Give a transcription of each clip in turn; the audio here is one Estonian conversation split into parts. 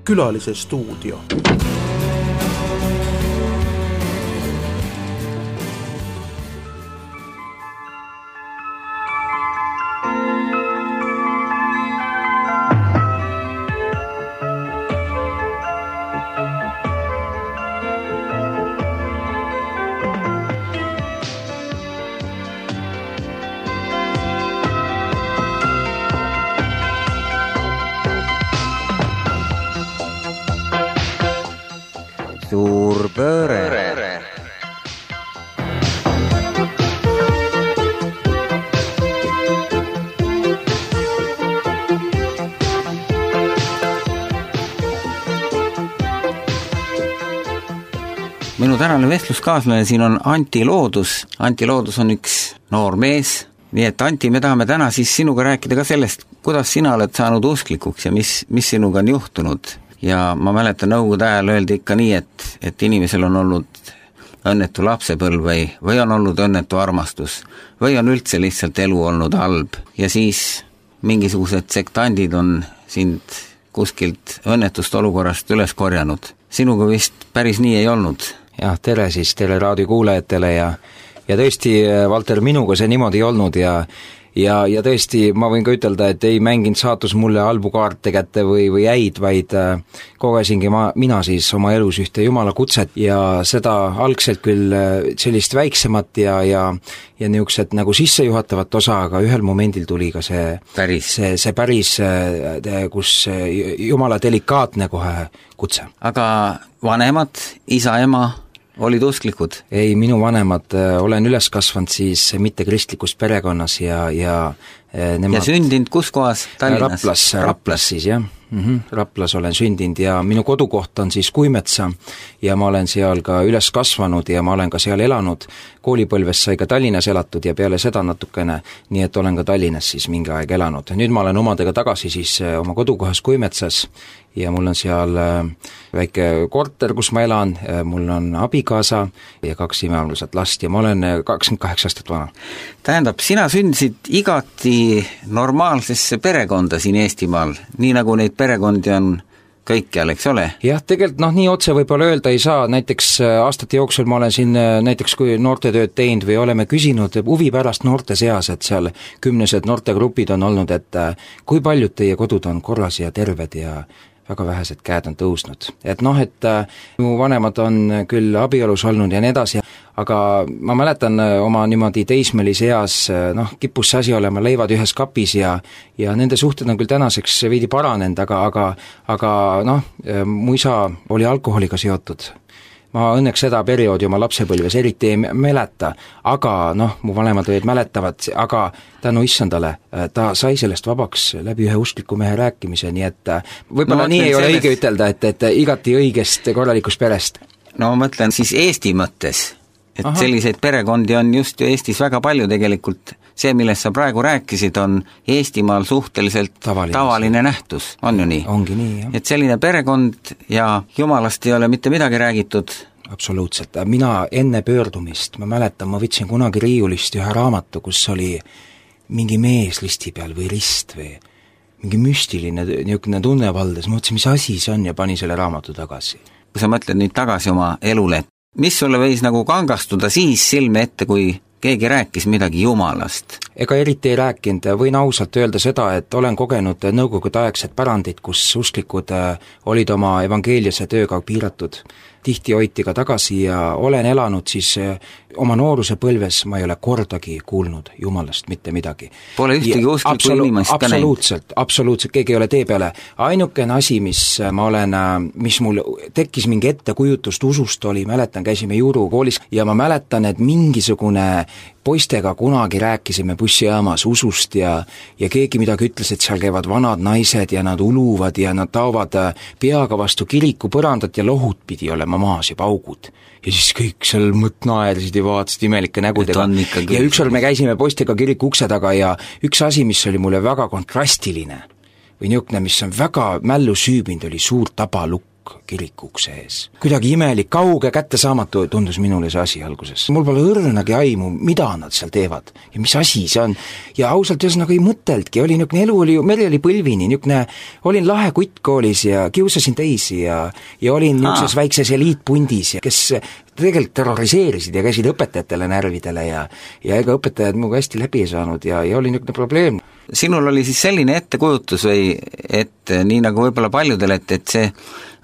Külalise stuudio. Suur pööre. Minu tänane vestluskaaslane siin on Anti Loodus. Anti Loodus on üks noor mees. Nii et Anti, me tahame täna siis sinuga rääkida ka sellest, kuidas sina oled saanud usklikuks ja mis sinuga on juhtunud. Ja ma mäletan, nõukogude ajal öeldi ikka nii, et inimesel on olnud õnnetu lapsepõlv või on olnud õnnetu armastus või on üldse lihtsalt elu olnud halb. Ja siis mingisugused sektandid on sind kuskilt õnnetust olukorrast üles korjanud. Sinuga vist päris nii ei olnud. Jah, tere siis teile raadiokuulajatele ja tõesti, Valter, minuga see niimoodi ei olnud ja tõesti, ma võin ka ütelda, et ei mänginud saatus mulle halbu kaarte kätte või häid, vaid kogesingi mina siis oma elus ühte jumala kutset ja seda algselt küll sellist väiksemat ja niisugused nagu sissejuhatavat osa, aga ühel momendil tuli ka see päris, kus jumala delikaatne kohe kutse. Aga vanemad, isa, ema olid usklikud? Ei, minu vanemad, olen üles kasvanud siis mitte kristlikus perekonnas ja nemad... Ja sündinud kus kohas? Tallinnas? Raplas siis, jah. Raplas olen sündinud ja minu kodukoht on siis Kuimetsa ja ma olen seal ka üles kasvanud ja ma olen ka seal elanud. Koolipõlves sai ka Tallinnas elatud ja peale seda natukene, nii et olen ka Tallinnas siis mingi aeg elanud. Nüüd ma olen omadega tagasi siis oma kodukohas Kuimetsas ja mul on seal väike korter, kus ma elan, mul on abikaasa ja 2 imearmsat last ja ma olen 28 aastat vana. Tähendab, sina sündisid igati normaalsesse perekonda siin Eestimaal, nii nagu neid perekondi on kõikjal, eks ole? Jah, tegelikult nii otse võib-olla öelda ei saa, näiteks aastate jooksul ma olen siin näiteks kui noortetööd teinud või oleme küsinud huvi pärast noorte seas, et seal 10 noortegrupid on olnud, et kui paljud teie kodud on korras ja terved ja väga vähesed käed on tõusnud. Et mu vanemad on küll abielus olnud ja nii edasi, aga ma mäletan oma niimoodi teismelise eas, kippus see asi olema leivad ühes kapis ja nende suhted on küll tänaseks veidi paranenud, aga mu isa oli alkoholiga seotud. Ma õnneks seda perioodi oma lapsepõlves eriti ei mäleta, aga mu vanemad olid mäletavad, aga tänu issandale, ta sai sellest vabaks läbi ühe uskliku mehe rääkimise, nii et võib-olla nii ei ole õige ütelda, et igati õigest korralikust perest. No ma mõtlen siis Eesti mõttes, et selliseid perekondi on just ju Eestis väga palju tegelikult. See, millest sa praegu rääkisid, on Eestimaal suhteliselt tavaline nähtus, on ju nii? Ongi nii, jah. Et selline perekond ja jumalast ei ole mitte midagi räägitud? Absoluutselt. Mina enne pöördumist, ma mäletan, ma võtsin kunagi riiulist ühe raamatu, kus oli mingi mees listi peal või rist või mingi müstiline niisugune tunnevaldes. Ma mõtlesin, mis asi see on ja pani selle raamatu tagasi. Kui sa mõtled nüüd tagasi oma elule, mis sulle võis nagu kangastuda siis silme ette, kui keegi rääkis midagi jumalast? Ega eriti ei rääkinud, võin ausalt öelda seda, et olen kogenud nõukogude aegset pärandit, kus usklikud olid oma evangeeliase tööga piiratud. Tihti hoiti ka tagasi ja olen elanud siis oma nooruse põlves, ma ei ole kordagi kuulnud jumalast mitte midagi. Pole ühtegi usklikku inimest ka näinud? Absoluutselt, keegi ei ole tee peale. Ainukene asi, mis mul tekkis mingi ettekujutust usust oli, mäletan, käisime juurukoolis ja ma mäletan, et mingisugune poistega kunagi rääkisime bussijaamas usust ja keegi midagi ütles, et seal käivad vanad naised ja nad uluvad ja nad taovad peaga vastu kiriku põrandat ja lohud pidi olema maas ja paugud. Ja siis kõik seal naersid ja vaatasid imelike nägudega. Ja ükskord me käisime poistega kiriku ukse taga ja üks asi, mis oli mulle väga kontrastiline või niisugune, mis on väga mällu süübinud, oli suur tabalukk. kirikuks ees. Kuidagi imelik, kauge, kättesaamatu tundus minule see asi alguses. Mul pole õrnagi aimu, mida nad seal teevad ja mis asi see on. Ja ausalt ühesõnaga ei mõteltki, oli niisugune elu, meri oli põlvini, niisugune, olin lahe kutt koolis ja kiusasin teisi ja olin niisuguses väikses eliitpundis, kes tegelikult terroriseerisid ja käisid õpetajatele närvidele ja ega õpetajad minuga hästi läbi ei saanud ja oli niisugune probleem. Sinul oli siis selline ettekujutus või et nii nagu võib-olla paljudel, et see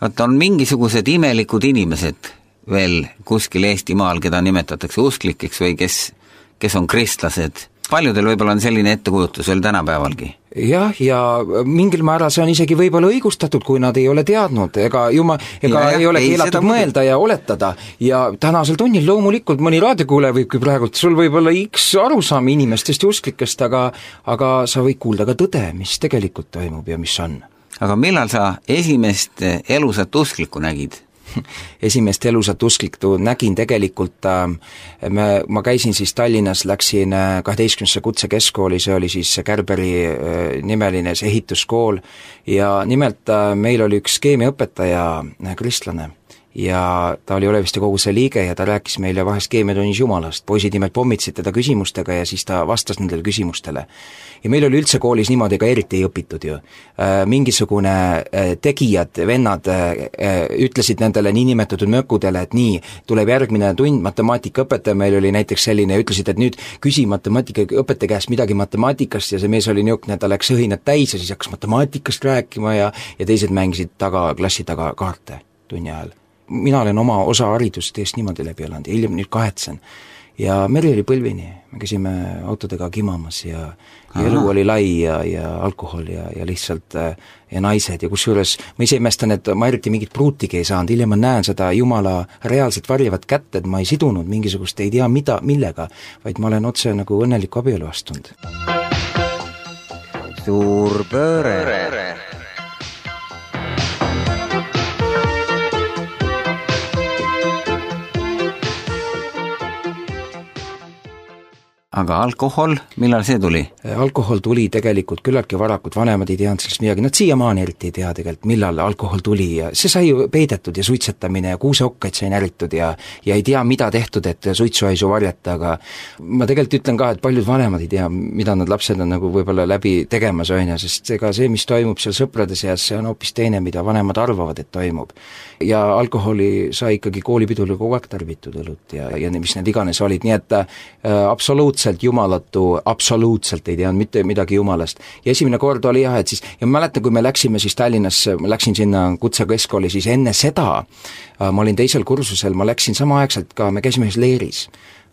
on mingisugused imelikud inimesed veel kuskil Eestimaal, keda nimetatakse usklikeks või kes on kristlased. Paljudel võib-olla on selline ettekujutus veel tänapäevalgi. Jah, ja mingil määral see on isegi võib-olla õigustatud, kui nad ei ole teadnud, ega ei ole keelatud mõelda ja oletada. Ja tänasel tunnil loomulikult mõni raadiokuule võibki praegult, sul võib olla X arusaam inimestest ja usklikest, aga sa võid kuulda ka tõde, mis tegelikult toimub ja mis on. Aga millal sa esimest elusat usklikku nägid? Esimest elusat usklikku nägin tegelikult, ma käisin siis Tallinnas, läksin 12. kutsekeskkooli, see oli siis Kärberi nimeline see ehituskool ja nimelt meil oli üks keemiaõpetaja kristlane ja ta oli Oleviste koguse liige ja ta rääkis meile vahest keemiatunnis Jumalast. Poisid nimelt pommitasid teda küsimustega ja siis ta vastas nendele küsimustele. Ja meil oli üldse koolis niimoodi, ega eriti ei õpitud ju. Mingisugune tegijad, vennad ütlesid nendele niinimetatud mökudele, et nii, tuleb järgmine tund, matemaatikaõpetaja meil oli näiteks selline, ütlesid, et nüüd küsi matemaatikaõpetaja käest midagi matemaatikast ja see mees oli niisugune, ta läks õhinad täis ja siis hakkas matemaatikast rääkima ja teised mängisid klassi taga kaarte tunni ajal. Mina olen oma osa haridust eest niimoodi läbi elanud ja hiljem nüüd kahetsen. Ja meri oli põlvini, me käisime autodega kimamas ja elu oli lai ja alkohol ja lihtsalt ja naised ja kusjuures ma ise imestan, et ma eriti mingit pruutigi ei saanud, hiljem ma näen seda Jumala reaalselt varjavat kätt, et ma ei sidunud mingisugust ei tea millega, vaid ma olen otse nagu õnneliku abielu astunud. Suur pööre. Aga alkohol, millal see tuli? Alkohol tuli tegelikult küllaltki varakult, vanemad ei teadnud sellest midagi, nad siiamaani eriti ei tea tegelikult, millal alkohol tuli ja see sai ju peidetud ja suitsetamine ja kuuseokkaid sai näritud ja ei tea, mida tehtud, et suitsuhaisu varjata, aga ma tegelikult ütlen ka, et paljud vanemad ei tea, mida nad lapsed on nagu võib-olla läbi tegemas on ja sest ega see, mis toimub seal sõprade seas, see on hoopis teine, mida vanemad arvavad, et toimub. Ja alkoholi sai ikkagi koolipidul kogu aeg tarvitud õlut ja mis need iganes olid, nii et absoluutselt jumalatu, absoluutselt ei teadnud mitte midagi Jumalast. Ja esimene kord oli jah, et siis, ja ma mäletan, kui me läksime siis Tallinnas, ma läksin sinna kutsekeskkooli, siis enne seda ma olin teisel kursusel, ma läksin samaaegselt ka, me käisime ühes leeris.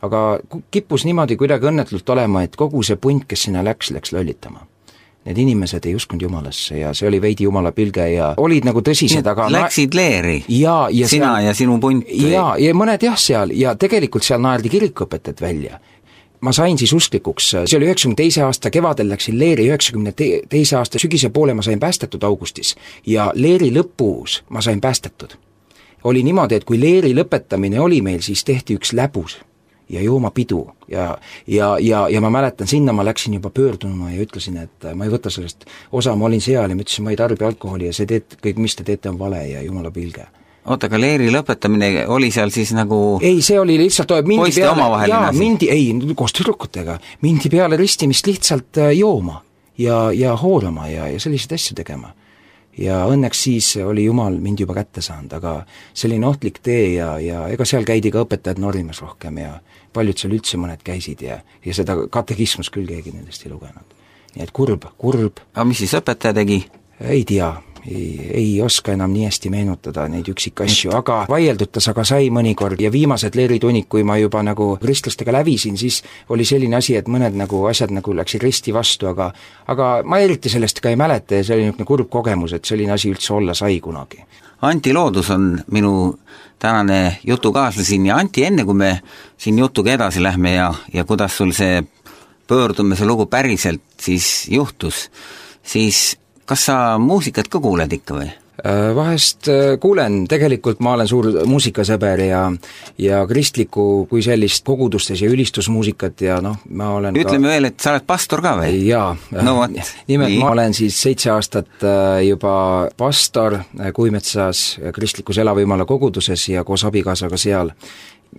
Aga kippus niimoodi kuidagi õnnetult olema, et kogu see punt, kes sinna läks lollitama. Need inimesed ei uskunud Jumalasse ja see oli veidi Jumala pilge ja olid nagu tõsised, aga läksid leeri? Ja sina ja sinu punt? Ja mõned jah seal ja tegelikult seal naerdi kirikuõpetajad välja. Ma sain siis usklikuks, see oli 92. aasta kevadel läksin leeri, 92. aasta sügise poole ma sain päästetud augustis ja leeri lõpus ma sain päästetud. Oli niimoodi, et kui leeri lõpetamine oli meil, siis tehti üks läbus ja joomapidu ja ma mäletan, sinna ma läksin juba pöördunuma ja ütlesin, et ma ei võta sellest osa, ma olin seal ja ma ütlesin, ma ei tarbi alkoholi ja see kõik, mis te teete, on vale ja Jumala pilge. Oota, aga leeri lõpetamine oli seal siis nagu ei, see oli lihtsalt poiste omavaheline asi? Koos tüdrukutega, mindi peale ristimist lihtsalt jooma ja hoolama ja selliseid asju tegema. Ja õnneks siis oli Jumal mind juba kätte saanud, aga selline ohtlik tee ja ega seal käidi ka õpetajad norimas rohkem ja paljud seal üldse mõned käisid ja seda katekismus küll keegi nendest ei lugenud. Nii et kurb. Aga mis siis õpetaja tegi? Ei tea, ei oska enam nii hästi meenutada neid üksikasju, aga vaieldud aga sai mõnikord ja viimased leeritunnid, kui ma juba nagu kristlastega lävisin, siis oli selline asi, et mõned nagu asjad nagu läksid risti vastu, aga ma eriti sellest ka ei mäleta ja see oli niisugune kurb kogemus, et selline asi üldse olla sai kunagi. Anti Loodus on minu tänane jutukaaslasin ja Anti, enne kui me siin jutuga edasi lähme ja kuidas sul see pöördumise lugu päriselt siis juhtus, siis kas sa muusikat ka kuuled ikka või? Vahest kuulen, tegelikult ma olen suur muusikasõber ja kristlikku kui sellist kogudustes ja ülistusmuusikat ja ma olen ütleme veel, et sa oled pastor ka või? Jaa, nimelt ma olen siis 7 aastat juba pastor Kuimetsas kristlikus Elavõimala koguduses ja koos abikaasaga seal.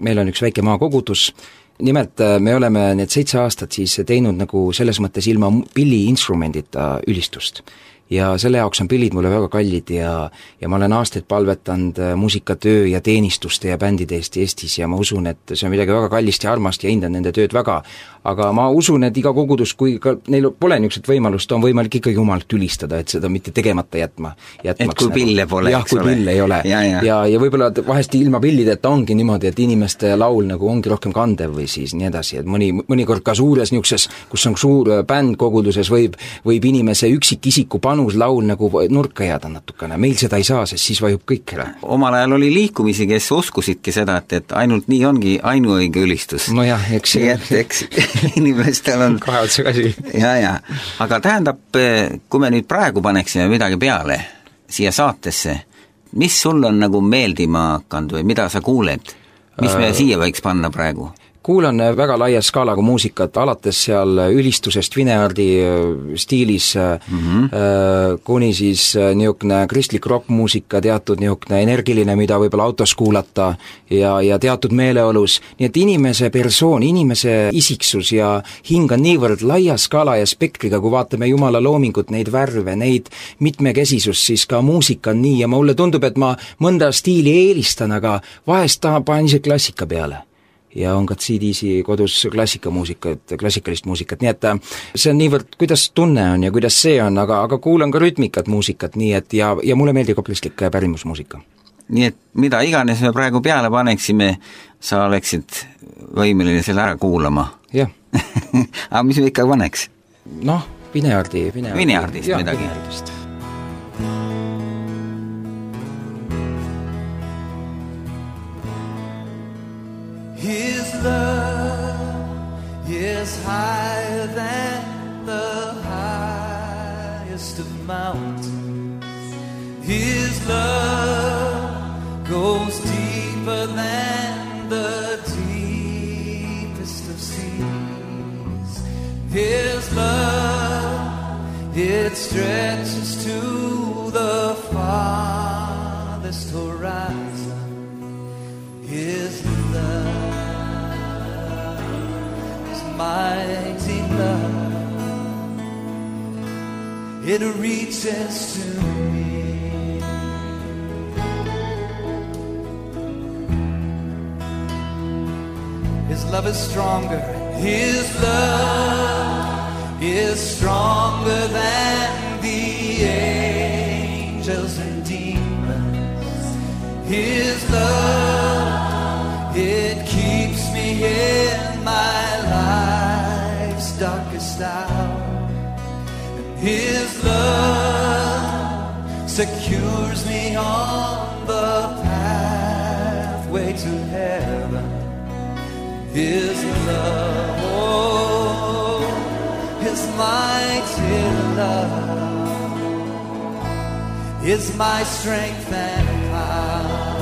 Meil on üks väike maakogudus. Nimelt me oleme need 7 aastat siis teinud nagu selles mõttes ilma pilliinstrumendita ülistust. Ja selle jaoks on pillid mulle väga kallid ja ma olen aastaid palvetanud muusikatöö ja teenistuste ja bändide eest Eestis ja ma usun, et see on midagi väga kallist ja armast ja hindan nende tööd väga. Aga ma usun, et iga kogudus, kui ka neil pole niisugust võimalust, on võimalik ikkagi Jumalat ülistada, et seda mitte tegemata jätmaks. Et kui pille pole, eks ole. Jah, kui pille ei ole. Ja võib-olla vahest ilma pillideta ongi niimoodi, et inimeste laul nagu ongi rohkem kandev või siis nii edasi, et mõnikord ka suures niisuguses, kus on suur bänd koguduses, võib inimese üksikisiku panus laul nagu nurka jääda natukene. Meil seda ei saa, sest siis vajub kõik ära. Omal ajal oli liikumisi, kes uskusidki seda, et ainult nii ongi ainuõige ülistus. No jah, eks inimestel on kahe otsa käsi. Ja. Aga tähendab, kui me nüüd praegu paneksime midagi peale siia saatesse, mis sul on nagu meeldima hakanud või mida sa kuuled? Mis me siia võiks panna praegu? Kuulan väga laia skaalaga muusikat, alates seal ülistusest Vineardi stiilis kuni siis niisugune kristlik rockmuusika, teatud niisugune energiline, mida võib-olla autos kuulata ja teatud meeleolus. Nii et inimese persoon, inimese isiksus ja hing on niivõrd laia skaala ja spektriga, kui vaatame Jumala loomingut, neid värve, neid mitmekesisust, siis ka muusika on nii ja mulle tundub, et ma mõnda stiili eelistan, aga vahest panen ise klassika peale. Ja on ka CD-si kodus klassikalist muusikat, nii et see on niivõrd, kuidas tunne on ja kuidas see on, aga kuulan ka rütmikat muusikat, nii et ja mulle meeldib ka kristlik pärimusmuusika. Nii et mida iganes me praegu peale paneksime, sa oleksid võimeline selle ära kuulama. Jah. Aga mis me ikka paneks? Vineardist midagi. Vineardist. His love is higher than the highest of mountains. His love goes deeper than the deepest of seas. His love, it stretches to the farthest horizon. His love, mighty love, it reaches to me. His love is stronger. His love is stronger than the angels and demons. His love, it keeps me in my darkest hour. His love secures me on the pathway to heaven. His love, His mighty love is my strength and power.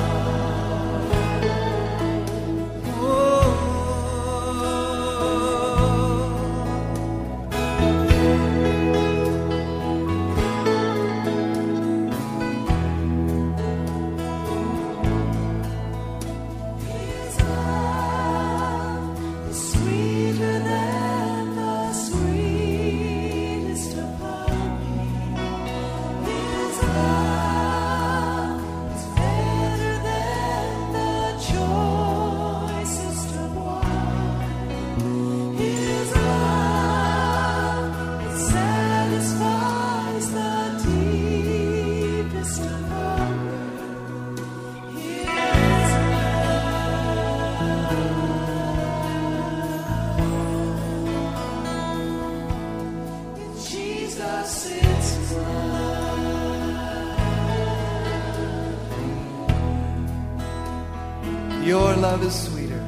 Your love is sweeter.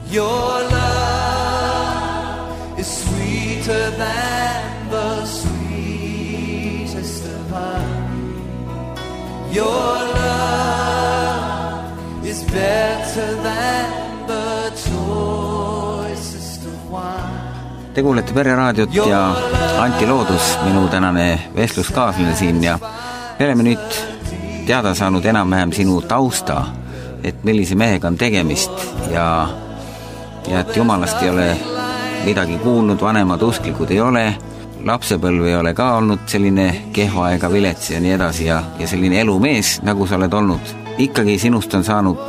Your love is sweeter than the sweetest of honey. Your love is better than the choicest of wine. Te kuulete Pereraadiot ja Anti Loodus, minu tänane vestluskaaslane siin ja me oleme nüüd teada saanud enam-vähem sinu tausta, et millise mehega on tegemist ja et jumalast ei ole midagi kuulnud, vanemad usklikud ei ole, lapsepõlv ei ole ka olnud selline kehva ega vilets ja nii edasi ja selline elumees, nagu sa oled olnud. Ikkagi sinust on saanud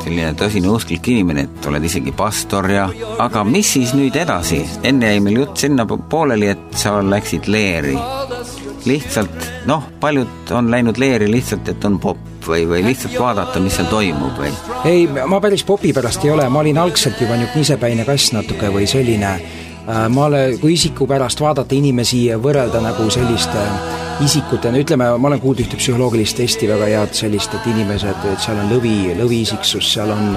selline tõsine usklik inimene, et oled isegi pastor ja aga mis siis nüüd edasi? Enne jäi meil jutt sinna pooleli, et sa läksid leeri. Lihtsalt, paljud on läinud leeri lihtsalt, et on popp või lihtsalt vaadata, mis seal toimub või? Ei, ma päris popi pärast ei ole, ma olin algselt juba nüüd nisepäine kass natuke või selline kui isiku pärast vaadata inimesi ja võrrelda nagu selliste isikutena, ütleme, ma olen kuulnud ühte psühholoogilist testi väga head sellist, et inimesed, et seal on lõviisiksus, seal on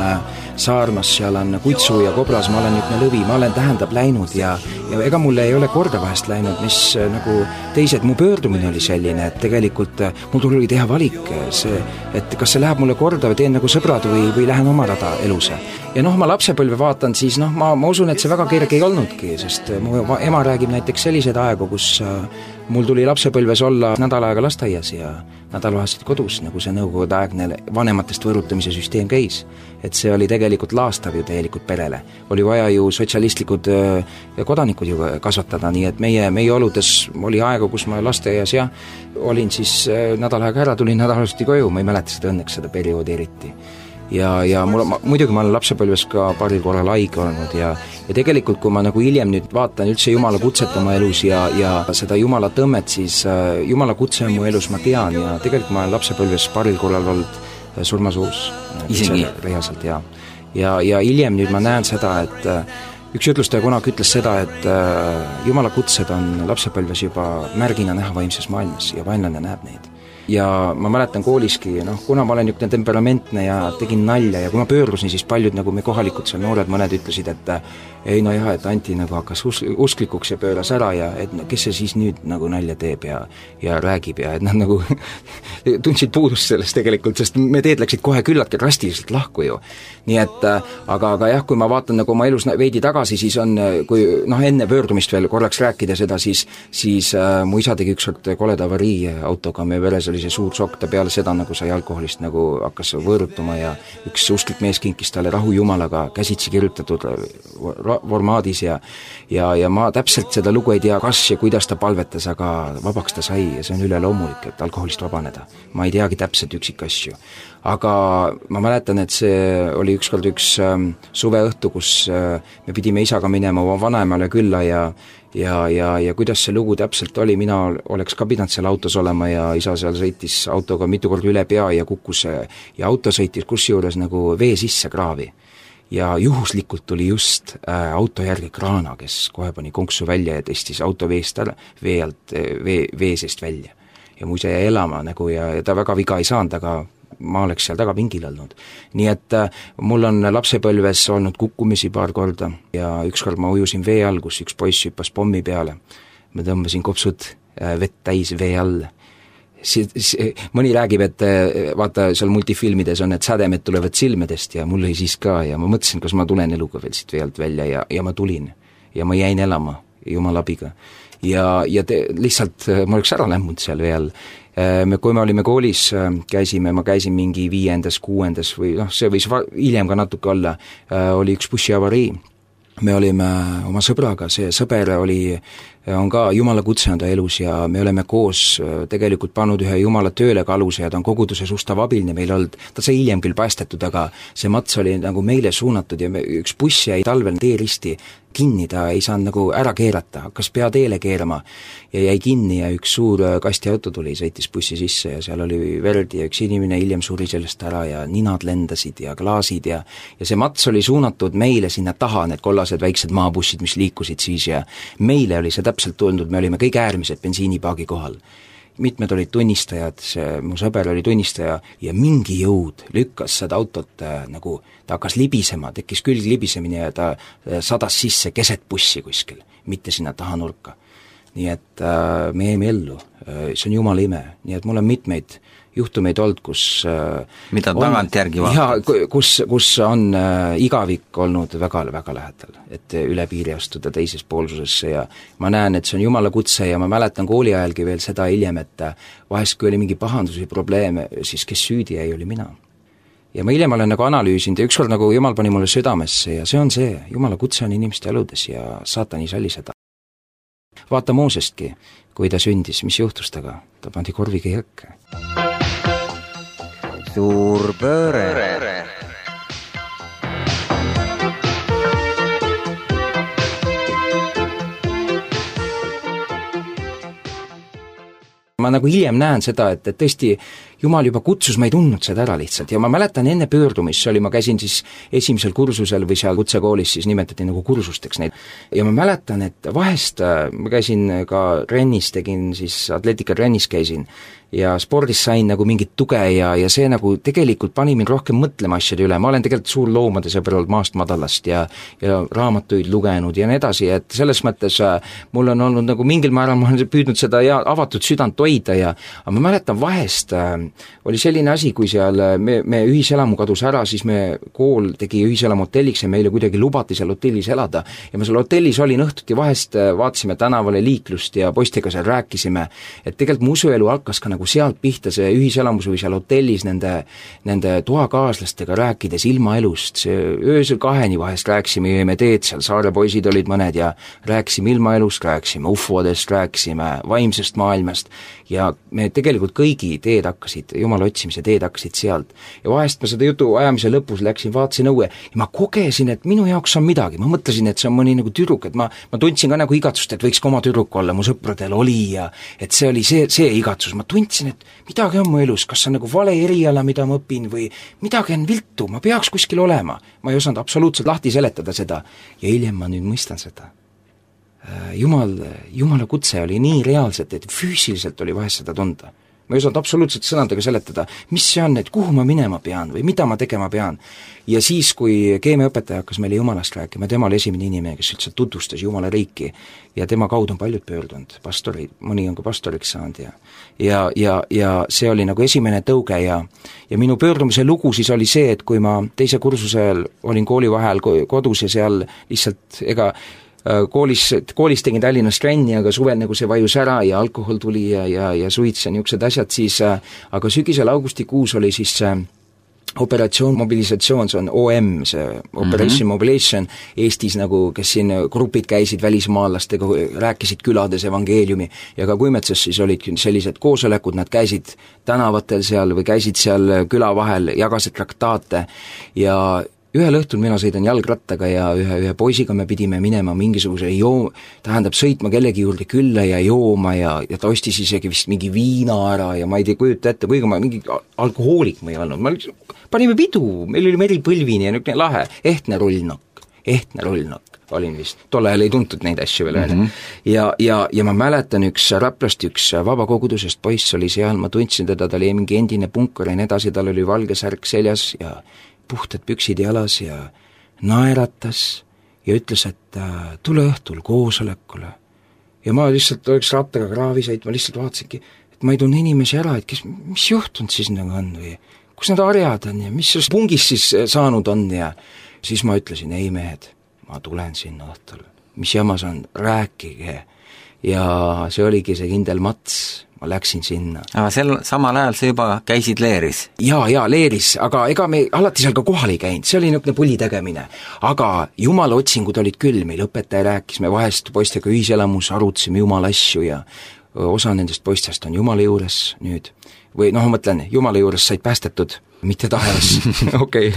saarmas, seal on kutsu ja kobras, ma olen nüüd lõvi, ma olen tähendab läinud ja ega mulle ei ole korda vahest läinud, mis nagu teised, mu pöördumine oli selline, et tegelikult mul tuli teha valik, et kas see läheb mulle korda või teen nagu sõbrad või lähen oma rada elus. Ja ma lapsepõlve vaatan, siis ma usun, et see väga kerge ei olnudki, sest mu ema räägib näiteks selliseid aegu, kus mul tuli lapsepõlves olla nädal aega lasteaias ja nädalavahetused kodus, nagu see nõukogudeaegne vanematest võrutamise süsteem käis. Et see oli tegelikult laastav ju täielikult perele. Oli vaja ju sotsialistlikud kodanikud ju kasvatada, nii et meie oludes oli aega, kus ma lasteaias olin siis nädal aega ära, tulin nädalavahetuseti koju, ma ei mäleta seda õnneks seda perioodi eriti. Ja muidugi ma olen lapsepõlves ka paaril korral haige olnud ja tegelikult, kui ma nagu hiljem nüüd vaatan üldse Jumala kutset oma elus ja seda Jumala tõmmet, siis Jumala kutse on mu elus, ma tean ja tegelikult ma olen lapsepõlves paaril korral olnud surmasuus. Isegi? Reaalselt, ja hiljem nüüd ma näen seda, et üks ütlustaja kunagi ütles seda, et Jumala kutsed on lapsepõlves juba märgina näha vaimses maailmas ja vaenlane näeb neid. Ja ma mäletan kooliski, kuna ma olen niisugune temperamentne ja tegin nalja ja kui ma pöördusin, siis paljud nagu me kohalikud seal noored mõned ütlesid, et ei et Anti nagu hakkas usklikuks ja pööras ära ja et kes see siis nüüd nagu nalja teeb ja räägib ja et nad nagu tundsid puudust sellest tegelikult, sest me teed läksid kohe küllaltki drastiliselt lahku ju. Nii et, aga jah, kui ma vaatan nagu oma elus veidi tagasi, siis on, kui enne pöördumist veel korraks rääkida seda, siis mu isa tegi ükskord koleda avarii autoga, meie veres oli see suur sokk, ta peale seda nagu sai alkoholist nagu hakkas võõrutuma ja üks usklik mees kinkis talle rahu Jumalaga käsitsi kirjutatud formaadis ja ma täpselt seda lugu ei tea, kas ja kuidas ta palvetas, aga vabaks ta sai ja see on üleloomulik, et alkoholist vabaneda. Ma ei teagi täpselt üksikasju. Aga ma mäletan, et see oli ükskord üks suveõhtu, kus me pidime isaga minema oma vanaemale külla ja kuidas see lugu täpselt oli, mina oleks ka pidanud seal autos olema ja isa seal sõitis autoga mitu korda üle pea ja kukkus ja auto sõitis kusjuures nagu vee sisse kraavi. Ja juhuslikult tuli just auto järgi kraana, kes kohe pani konksu välja ja testis auto vee seest välja. Ja mu isa jäi elama nagu ja ta väga viga ei saanud, aga ma oleks seal taga pingil olnud. Nii et mul on lapsepõlves olnud kukkumisi paar korda ja ükskord ma ujusin vee all, kus üks poiss hüppas pommi peale. Ma tõmbasin kopsud vett täis vee all. Mõni räägib, et vaata seal multifilmides on, et sädemed tulevad silmedest ja mul oli siis ka ja ma mõtlesin, kas ma tulen eluga veel siit vee alt välja ja ma tulin ja ma jäin elama Jumala abiga ja lihtsalt ma oleks ära lämmunud seal vee all. Kui me olime koolis, ma käisin mingi 5., 6. või see võis hiljem ka natuke olla, oli üks bussiavarii. Me olime oma sõbraga, see sõber on ka Jumala kutsenud elus ja me oleme koos tegelikult pannud ühe Jumala tööle ka aluse ja ta on koguduses ustav abiline meil olnud. Ta sai hiljem küll päästetud, aga see mats oli nagu meile suunatud ja üks buss jäi talvel teeristi kinni, ta ei saanud nagu ära keerata, hakkas pea teele keerama ja jäi kinni ja üks suur kastiauto tuli, sõitis bussi sisse ja seal oli verd ja üks inimene hiljem suri sellest ära ja ninad lendasid ja klaasid ja see mats oli suunatud meile sinna taha, need kollased väiksed maabussid, mis liikusid siis ja meile oli see täpselt tundnud, me olime kõik äärmised bensiinipaagi kohal. Mitmed olid tunnistajad, mu sõber oli tunnistaja ja mingi jõud lükkas seda autot nagu, ta hakkas libisema, tekkis külg libisemine ja ta sadas sisse keset bussi kuskil, mitte sinna taha nurka. nii et me jäime ellu, see on Jumala ime, nii et mul on mitmeid juhtumeid olnud, kus mida tagantjärgi vaatad? Kus on igavik olnud väga lähedal, et üle piiri astuda teises poolsusesse ja ma näen, et see on Jumala kutse ja ma mäletan kooli ajalgi veel seda hiljem, et vahest kui oli mingi pahandus või probleeme, siis kes süüdi jäi, oli mina. Ja ma hiljem olen nagu analüüsinud ja ükskord nagu Jumal pani mulle südamesse ja see on see, Jumala kutse on inimeste eludes ja saatan ei salli seda. Vaata Moosestki, kui ta sündis, mis juhtus taga? Ta pandi korviga jõkke. Suur pööre. Ma nagu hiljem näen seda, et tõesti Jumal juba kutsus, ma ei tundnud seda ära lihtsalt ja ma mäletan enne pöördumist, see oli, ma käisin siis esimesel kursusel või seal kutsekoolis, siis nimetati nagu kursusteks neid. Ja ma mäletan, et vahest ma käisin ka trennis, tegin siis atleetikatrennis käisin ja spordis sain nagu mingit tuge ja see nagu tegelikult pani mind rohkem mõtlema asjade üle, ma olen tegelikult suur loomade sõber olnud maast madalast ja raamatuid lugenud ja nii edasi, et selles mõttes mul on olnud nagu mingil määral, ma olen püüdnud seda avatud südant hoida ja aga ma mäletan vahest oli selline asi, kui seal me ühiselamu kadus ära, siis me kool tegi ühiselamu hotelliks ja meile kuidagi lubati seal hotellis elada ja ma seal hotellis olin õhtuti vahest, vaatasime tänavale liiklust ja poistega seal rääkisime, et tegelikult mu usuelu hakkas ka nagu sealt pihta see ühiselamus või seal hotellis nende toakaaslastega rääkides ilmaelust, see öösel 2 vahest rääkisime, jõime teed, seal saare poisid olid mõned ja rääkisime ilmaelust, rääkisime ufodest, rääkisime vaimsest maailmast ja me tegelikult kõigi teed hakkasid, Jumala otsimise teed hakkasid sealt. Ja vahest ma seda jutu ajamise lõpus läksin, vaatasin õue ja ma kogesin, et minu jaoks on midagi, ma mõtlesin, et see on mõni nagu tüdruk, et ma tundsin ka nagu igatsust, et võiks ka oma tüdruk olla, mu sõpradel oli ja et see oli see igatsus, ma tundsin, et midagi on mu elus, kas see on nagu vale eriala, mida ma õpin või midagi on viltu, ma peaks kuskil olema, ma ei osanud absoluutselt lahti seletada seda ja hiljem ma nüüd mõistan seda. Jumala kutse oli nii reaalselt, et füüsiliselt oli vahest seda tunda. Ma ei osanud absoluutselt sõnadega seletada, mis see on, et kuhu ma minema pean või mida ma tegema pean. Ja siis, kui keemiaõpetaja hakkas meile Jumalast rääkima, tema oli esimene inimene, kes üldse tutvustas Jumala riiki ja tema kaudu on paljud pöördunud, pastorid, mõni on ka pastoriks saanud ja see oli nagu esimene tõuge ja minu pöördumise lugu siis oli see, et kui ma teise kursusel olin kooli vahel kodus ja seal lihtsalt koolis tegin Tallinnas trenni, aga suvel nagu see vajus ära ja alkohol tuli ja suits ja niisugused asjad, siis aga sügisel augustikuus oli siis operatsioon mobilisatsioon, see on OM, see Operation Mobilization Eestis nagu, kes siin grupid käisid välismaalastega, rääkisid külades evangeeliumi ja ka Kuimetsas siis olid sellised koosolekud, nad käisid tänavatel seal või käisid seal küla vahel, jagasid traktaate ja ühel õhtul mina sõidan jalgrattaga ja ühe poisiga me pidime minema mingisuguse sõitma kellegi juurde külla ja jooma ja ta ostis isegi vist mingi viina ära ja ma ei tea, kujuta ette, kuigi ma mingi alkohoolik ma ei olnud, panime pidu, meil oli Meri Põlvini ja niisugune lahe, ehtne rullnokk olin vist, tol ajal ei tuntud neid asju veel ja ma mäletan üks Raplast, üks vabakogudusest poiss oli seal, ma tundsin teda, ta oli mingi endine punkar ja nii edasi, tal oli valge särk seljas ja puhtad püksid jalas ja naeratas ja ütles, et tule õhtul koosolekule. Ja ma lihtsalt oleks rattaga kraavi sõit, ma lihtsalt vaatasingi, et ma ei tunne inimesi ära, et mis juhtunud siis nagu on või kus need arjad on ja mis sellest pungis siis saanud on ja siis ma ütlesin, ei mehed, ma tulen sinna õhtul, mis jamas on, rääkige ja see oligi see kindel mats, ma läksin sinna. Aga samal ajal sa juba käisid leeris? Jaa, leeris, aga ega me alati seal ka kohal ei käinud, see oli niisugune pulli tegemine. Aga Jumala otsingud olid küll, meil õpetaja rääkis, me vahest poistega ühiselamus arutasime Jumala asju ja osa nendest poistest on Jumala juures nüüd. Või noh, ma mõtlen, Jumala juures said päästetud, mitte taevas. Okei.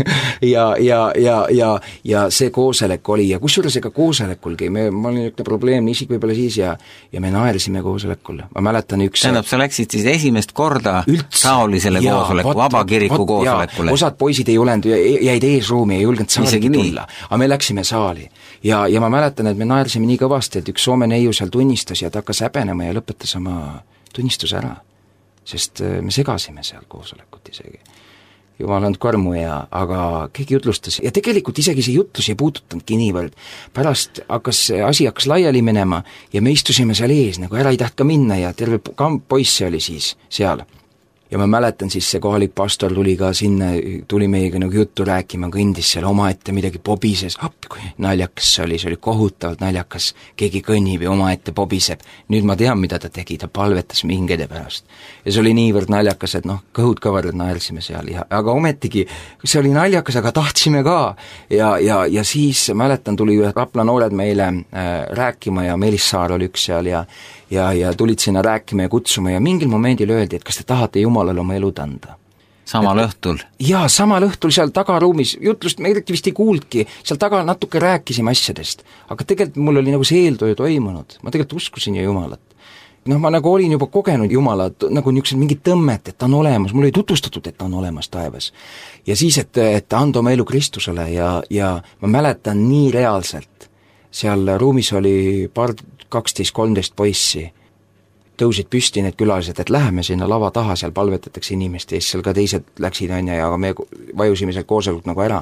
Ja see koosolek oli ja kusjuures ega koosolekulgi, ma olin niisugune probleemne isik võib-olla siis ja me naersime koosolekul. Ma mäletan üks... Tähendab, sa läksid siis esimest korda taolisele koosoleku, vabakiriku koosolekule. Osad poisid ei olnud, jäid eesruumi, ei julgenud saali tulla, aga me läksime saali. Ja ma mäletan, et me naersime nii kõvasti, et üks Soome neiu seal tunnistas ja ta hakkas häbenema ja lõpetas oma tunnistuse ära. Sest me segasime seal koosolekut isegi. jumal on karmu aga keegi jutlustas ja tegelikult isegi see jutlus ei puututanudki niivõrd. Pärast asi hakkas laiali minema ja me istusime seal ees, nagu ära ei taht ka minna ja terve kamp poisse oli siis seal. Ja ma mäletan siis see kohalik pastor tuli ka sinna, tuli meiega nagu juttu rääkima, kõndis seal omaette midagi pobises, appi kui naljakas see oli kohutavalt naljakas, keegi kõnnib ja omaette pobiseb. Nüüd ma tean, mida ta tegi, ta palvetas mingede pärast. Ja see oli niivõrd naljakas, et kõhud kõvarad naersime seal, aga ometigi see oli naljakas, aga tahtsime ka. Ja siis mäletan, tuli Rapla noored meile rääkima ja Meelis Saar oli üks seal ja tulid sinna rääkima ja kutsuma ja mingil momendil öeldi, et kas te tahate Jumalale oma elud anda. Samal õhtul? Jaa, samal õhtul seal tagaruumis, jutlust me eriti vist ei kuuldki, seal taga natuke rääkisime asjadest, aga tegelikult mul oli nagu see eeltöö toimunud, ma tegelikult uskusin ju Jumalat. Ma nagu olin juba kogenud Jumalat, nagu niisugused mingid tõmmet, et ta on olemas, mul oli tutvustatud, et ta on olemas taevas. Ja siis, et anda oma elu Kristusele ja ma mäletan nii reaalselt, seal ruumis oli 12-13 poissi, tõusid püsti need külalised, et läheme sinna lava taha, seal palvetatakse inimeste ees, seal ka teised läksid ja me vajusime seal koosolult nagu ära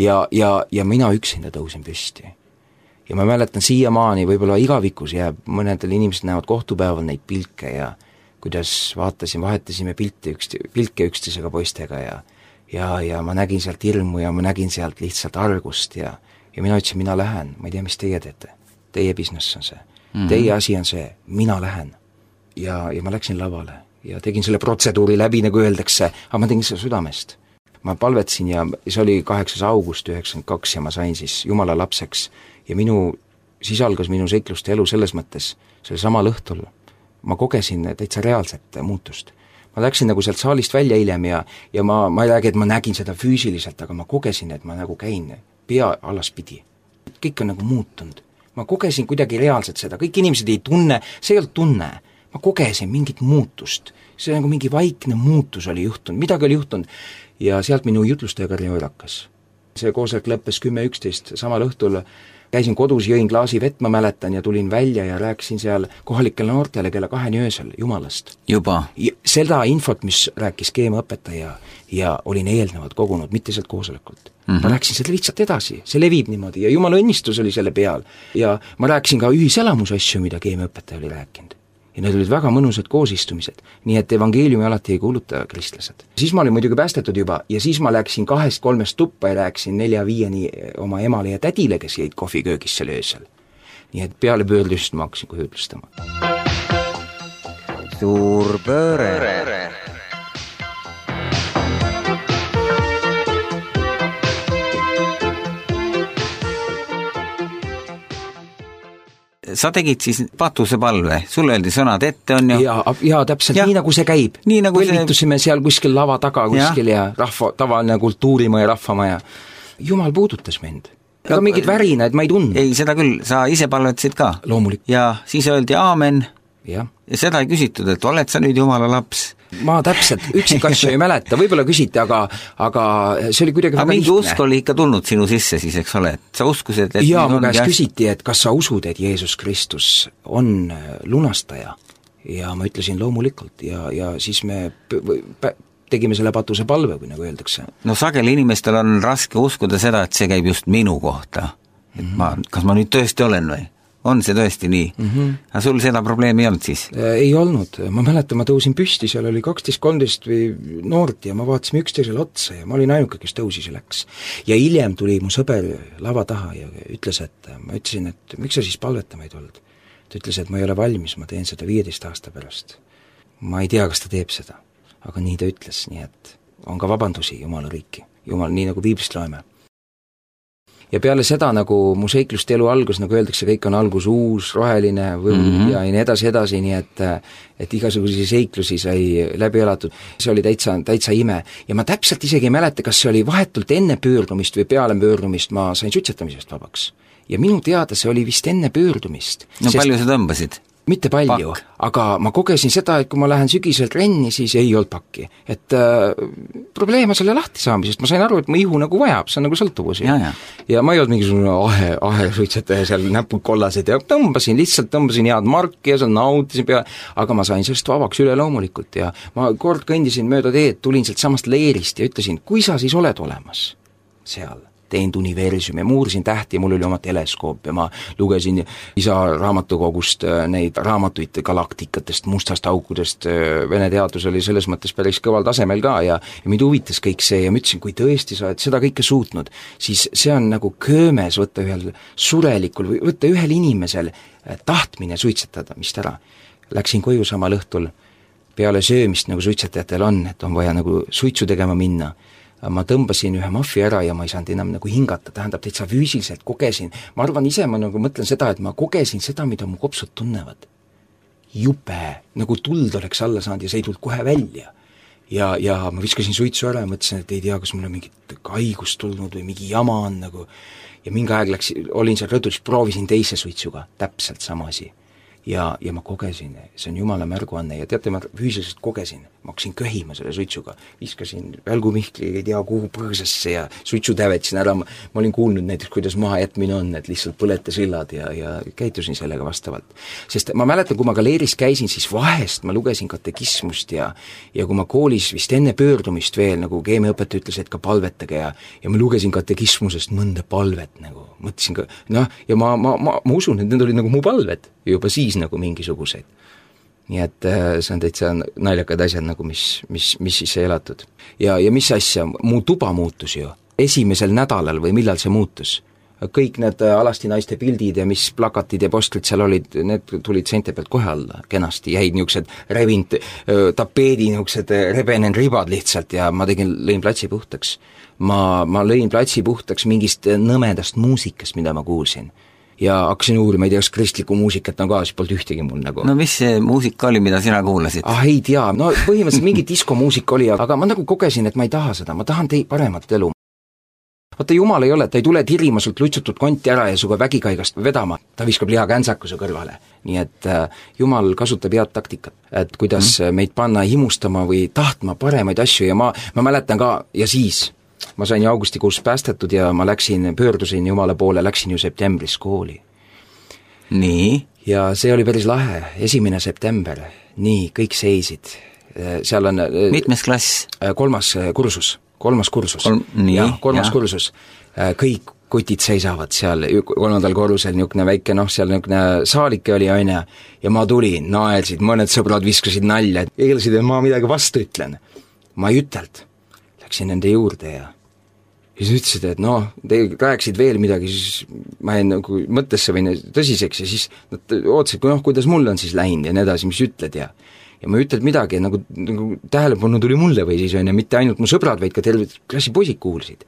ja mina üksinda tõusin püsti. Ja ma mäletan siiamaani, võib-olla igavikus jääb, mõnedel inimesed näevad kohtupäeval neid pilke ja kuidas vahetasime pilke üksteisega poistega ja ma nägin sealt hirmu ja ma nägin sealt lihtsalt argust ja mina ütlesin, mina lähen, ma ei tea, mis teie teete, teie business on see, teie asi on see, mina lähen. Ja ma läksin lavale ja tegin selle protseduuri läbi, nagu öeldakse, aga ma tegin seda südamest. Ma palvetsin ja see oli 8. august 1992 ja ma sain siis Jumala lapseks ja siis algas minu seikluste elu selles mõttes, selle samal õhtul ma kogesin täitsa reaalset muutust. Ma läksin nagu sealt saalist välja hiljem ja ma ei räägi, et ma nägin seda füüsiliselt, aga ma kogesin, et ma nagu käin pea alaspidi. Kõik on nagu muutunud. Ma kogesin kuidagi reaalselt seda, kõik inimesed ei tunne, see ei olnud tunne. Ma kogesin mingit muutust, see nagu mingi vaikne muutus oli juhtunud, midagi oli juhtunud ja sealt minu jutlustaja karjäär hakkas. See koosolek lõppes 10-11, samal õhtul käisin kodus, jõin klaasi vett, ma mäletan, ja tulin välja ja rääkisin seal kohalikele noortele kella 2 öösel Jumalast. Juba? Seda infot, mis rääkis keemiaõpetaja ja olin eelnevalt kogunud, mitte sealt koosolekult. Ma rääkisin seda lihtsalt edasi, see levib niimoodi ja Jumala õnnistus oli selle peal ja ma rääkisin ka ühiselamusasju, mida keemiaõpetaja oli rääkinud. Ja need olid väga mõnusad koosistumised, nii et evangeeliumi alati ei kuuluta kristlased. Siis ma olin muidugi päästetud juba ja siis ma läksin 2-3 tuppa ja rääkisin 4-5 oma emale ja tädile, kes jäid kohviköögis seal öösel. Nii et peale pöördust ma hakkasin kohe ütlustama. Suur pööre. Sa tegid siis patusepalve, sulle öeldi sõnad ette, on ju? Ja täpselt nii nagu see käib. Põlvitusime seal kuskil lava taga kuskil ja tavaline kultuurimaja, rahvamaja. Jumal puudutas mind. Aga mingid värinaid ma ei tundnud. Ei, seda küll, sa ise palvetasid ka. Loomulik. Ja siis öeldi aamen. Ja seda ei küsitud, et oled sa nüüd Jumala laps? Ma täpselt üksikasju ei mäleta, võib-olla küsiti, aga see oli kuidagi väga lihtne. Mingi usk oli ikka tulnud sinu sisse siis, eks ole, et sa uskusid, et ja mu käest küsiti, et kas sa usud, et Jeesus Kristus on lunastaja ja ma ütlesin loomulikult ja siis me tegime selle patuse palve, kui nagu öeldakse. No sageli inimestel on raske uskuda seda, et see käib just minu kohta, et kas ma nüüd tõesti olen või? On see tõesti nii? Aga sul seda probleemi ei olnud siis? Ei olnud. Ma mäletan, ma tõusin püsti, seal oli 12-13 või noort ja ma vaatasime üksteisele otsa ja ma olin ainuke, kes tõusis ja läks. Ja hiljem tuli mu sõber lava taha ja ütles, et ma ütlesin, et miks sa siis palvetama ei tulnud? Ta ütles, et ma ei ole valmis, ma teen seda 15 aasta pärast. Ma ei tea, kas ta teeb seda, aga nii ta ütles, nii et on ka vabandusi Jumala riiki. Jumal, nii nagu Piiblist loeme. Ja peale seda, nagu mu seikluste elu algus, nagu öeldakse, kõik on algus uus, roheline ja nii edasi, nii et igasugusi seiklusi sai läbi elatud. See oli täitsa ime. Ja ma täpselt isegi ei mäleta, kas see oli vahetult enne pöördumist või peale pöördumist, ma sain suitsetamisest vabaks. Ja minu teada see oli vist enne pöördumist. No palju sa tõmbasid? mitte palju, aga ma kogesin seda, et kui ma lähen sügisel trenni, siis ei olnud pakki. Et probleem on selle lahti saamisest, ma sain aru, et mu ihu nagu vajab, see on nagu sõltuvus. Ja ma ei olnud mingisugune ahe suitsetaja seal näpud kollased ja tõmbasin head marki ja seal nautisin pea, aga ma sain sellest vabaks üle loomulikult ja ma kord kõndisin mööda teed, tulin sealt samast leerist ja ütlesin, kui sa siis oled olemas seal? Teinud universumi ja ma uurisin tähti ja mul oli oma teleskoop ja ma lugesin isa raamatukogust neid raamatuid galaktikatest, mustast aukudest, Vene teadus oli selles mõttes päris kõval tasemel ka ja mind huvitas kõik see ja ma ütlesin, kui tõesti sa oled seda kõike suutnud, siis see on nagu köömes võtta ühel surelikul või võtta ühel inimesel tahtmine suitsetada, mis ära. Läksin koju samal õhtul peale söömist, nagu suitsetajatel on, et on vaja nagu suitsu tegema minna. Ma tõmbasin ühe maffi ära ja ma ei saanud enam nagu hingata, tähendab, täitsa füüsiliselt kogesin. Ma arvan ise, ma nagu mõtlen seda, et ma kogesin seda, mida mu kopsud tunnevad. Jupe, nagu tuld oleks alla saanud ja see ei tulnud kohe välja. Ja ma viskasin suitsu ära ja mõtlesin, et ei tea, kas mul on mingit haigust tulnud või mingi jama on nagu. Ja mingi aeg olin seal rõdul, proovisin teise suitsuga, täpselt sama asi. Ja ma kogesin, see on jumala märguanne ja teate, ma füüsiliselt kogesin, ma hakkasin köhima selle suitsuga, viskasin välgumihkli, ei tea kuhu põõsasse ja suitsu tävetsin ära, ma olin kuulnud näiteks, kuidas maha jätmine on, et lihtsalt põleta sillad ja käitusin sellega vastavalt. Sest ma mäletan, kui ma galeeris käisin, siis vahest ma lugesin katekismust ja kui ma koolis vist enne pöördumist veel, nagu keemiaõpetaja ütles, et ka palvetage ja ma lugesin katekismusest mõnda palvet nagu, mõtlesin ka, ja ma usun, et need olid nagu mu palved juba siis nagu mingisugused. Nii et see on täitsa naljakad asjad nagu, mis siis ei elatud. Ja mis asja, mu tuba muutus ju esimesel nädalal või millal see muutus. Kõik need alasti naiste pildid ja mis plakatid ja postrid seal olid, need tulid seinte pealt kohe alla kenasti, jäid niisugused revinud tapeedi, niisugused rebenen ribad lihtsalt ja ma lõin platsi puhtaks. Ma lõin platsi puhtaks mingist nõmedast muusikast, mida ma kuulsin. Ja hakkasin uurima, ei tea, kas kristlikku muusikat on ka, siis polnud ühtegi mul nagu. No mis see muusika oli, mida sina kuulasid? Ei tea, no põhimõtteliselt mingi diskomuusika oli, aga ma nagu kogesin, et ma ei taha seda, ma tahan paremat elu. Vaata, jumal ei ole, ta ei tule tirima sult lutsutud konti ära ja suga vägikaigast vedama, ta viskab liha käntsakuse kõrvale. Nii et jumal kasutab head taktikat, et kuidas meid panna himustama või tahtma paremaid asju ja ma mäletan ka ja siis ma sain augustikuus päästetud ja ma pöördusin jumala poole, läksin ju septembris kooli. Nii? Ja see oli päris lahe, 1. september, nii, kõik seisid. Seal on mitmes klass? Kolmas kursus. Kursus. Kõik kutid seisavad seal 3. korrusel, niisugune väike, seal niisugune saalike oli aine ja ma tulin, naersid, mõned sõbrad viskasid nalja, et eeldasid, et ma midagi vastu ütlen. Ma ei ütelt. Läksin nende juurde ja siis ütlesid, et te rääksid veel midagi, siis ma jäin nagu mõttesse või tõsiseks ja siis nad ootasid, kuidas mul on siis läinud ja nii edasi, mis ütled ja ma ütled midagi, nagu tähelepanu tuli mulle või siis on ja mitte ainult mu sõbrad, vaid ka terve klassi poisid kuulsid.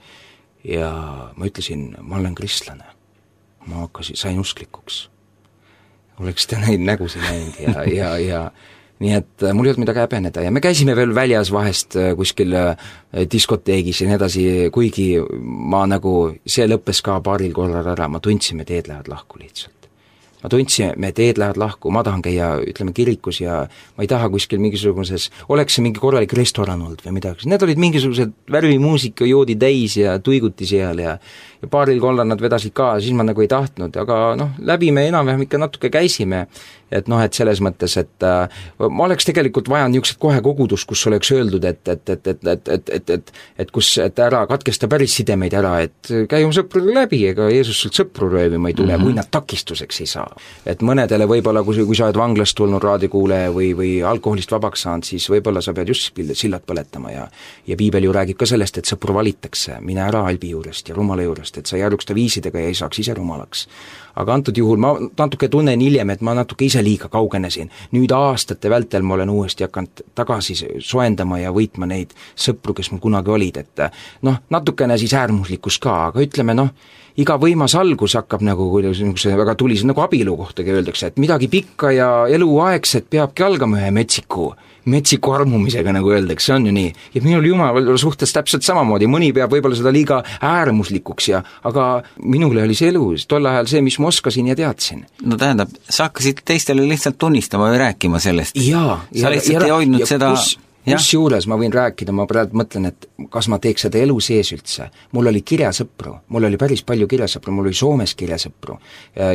Ja ma ütlesin, ma olen kristlane. Ma sain usklikuks. Oleks ta neid nägusid näinud ja nii et mul ei olnud midagi häbeneda ja me käisime veel väljas vahest kuskil diskoteegis ja nii edasi, kuigi see lõppes ka paaril korral ära, ma tundsin, et teed lähevad lahku lihtsalt. Ma tundsin, et teed lähevad lahku, ma tahan käia, ütleme, kirikus ja ma ei taha kuskil mingisuguses, oleks see mingi korralik restoran olnud või midagi. Need olid mingisugused värvimuusika joodi täis ja tuiguti seal ja paaril korral nad vedasid ka, siis ma nagu ei tahtnud, aga läbi me enam-vähem ikka natuke käisime, et selles mõttes, et ma oleks tegelikult vajanud niisugused kohe kogudust, kus oleks öeldud, et ära katkesta päris sidemeid ära, et käi oma sõpruga läbi, ega Jeesus sult sõpru röövima ei tule, või nad takistuseks ei saa. Et mõnedele võib-olla, kui sa oled vanglast tulnud raadiokuuleja või alkoholist vabaks saanud, siis võib-olla sa pead just sillad põletama ja piibel ju räägib ka sellest, et sõpru valitakse, mine ära halbi juurest ja rumala juurest, et sa ei arvuks ta viisidega ja ei saaks ise rumalaks. Aga antud juhul ma natuke tunnen hiljem, et ma natuke ise liiga kaugenesin. Nüüd aastate vältel ma olen uuesti hakanud tagasi soendama ja võitma neid sõpru, kes mul kunagi olid, et natukene siis äärmuslikkus ka, aga ütleme iga võimas algus hakkab nagu väga tulis, nagu abielu kohtagi öeldakse, et midagi pikka ja eluaegset peabki algama ühe metsiku armumisega, nagu öeldakse, see on ju nii. Ja minul Jumala suhtes täpselt samamoodi, mõni peab võib-olla seda liiga äärmuslikuks aga minule oli see elu, tol ajal see, mis ma oskasin ja teadsin. No tähendab, sa hakkasid teiste teistele lihtsalt tunnistama või rääkima sellest. Sa lihtsalt ei hoidnud seda... Kusjuures ma võin rääkida, ma praegu mõtlen, et kas ma teeks seda elu sees üldse. Mul oli kirjasõpru, mul oli päris palju kirjasõpru, mul oli Soomes kirjasõpru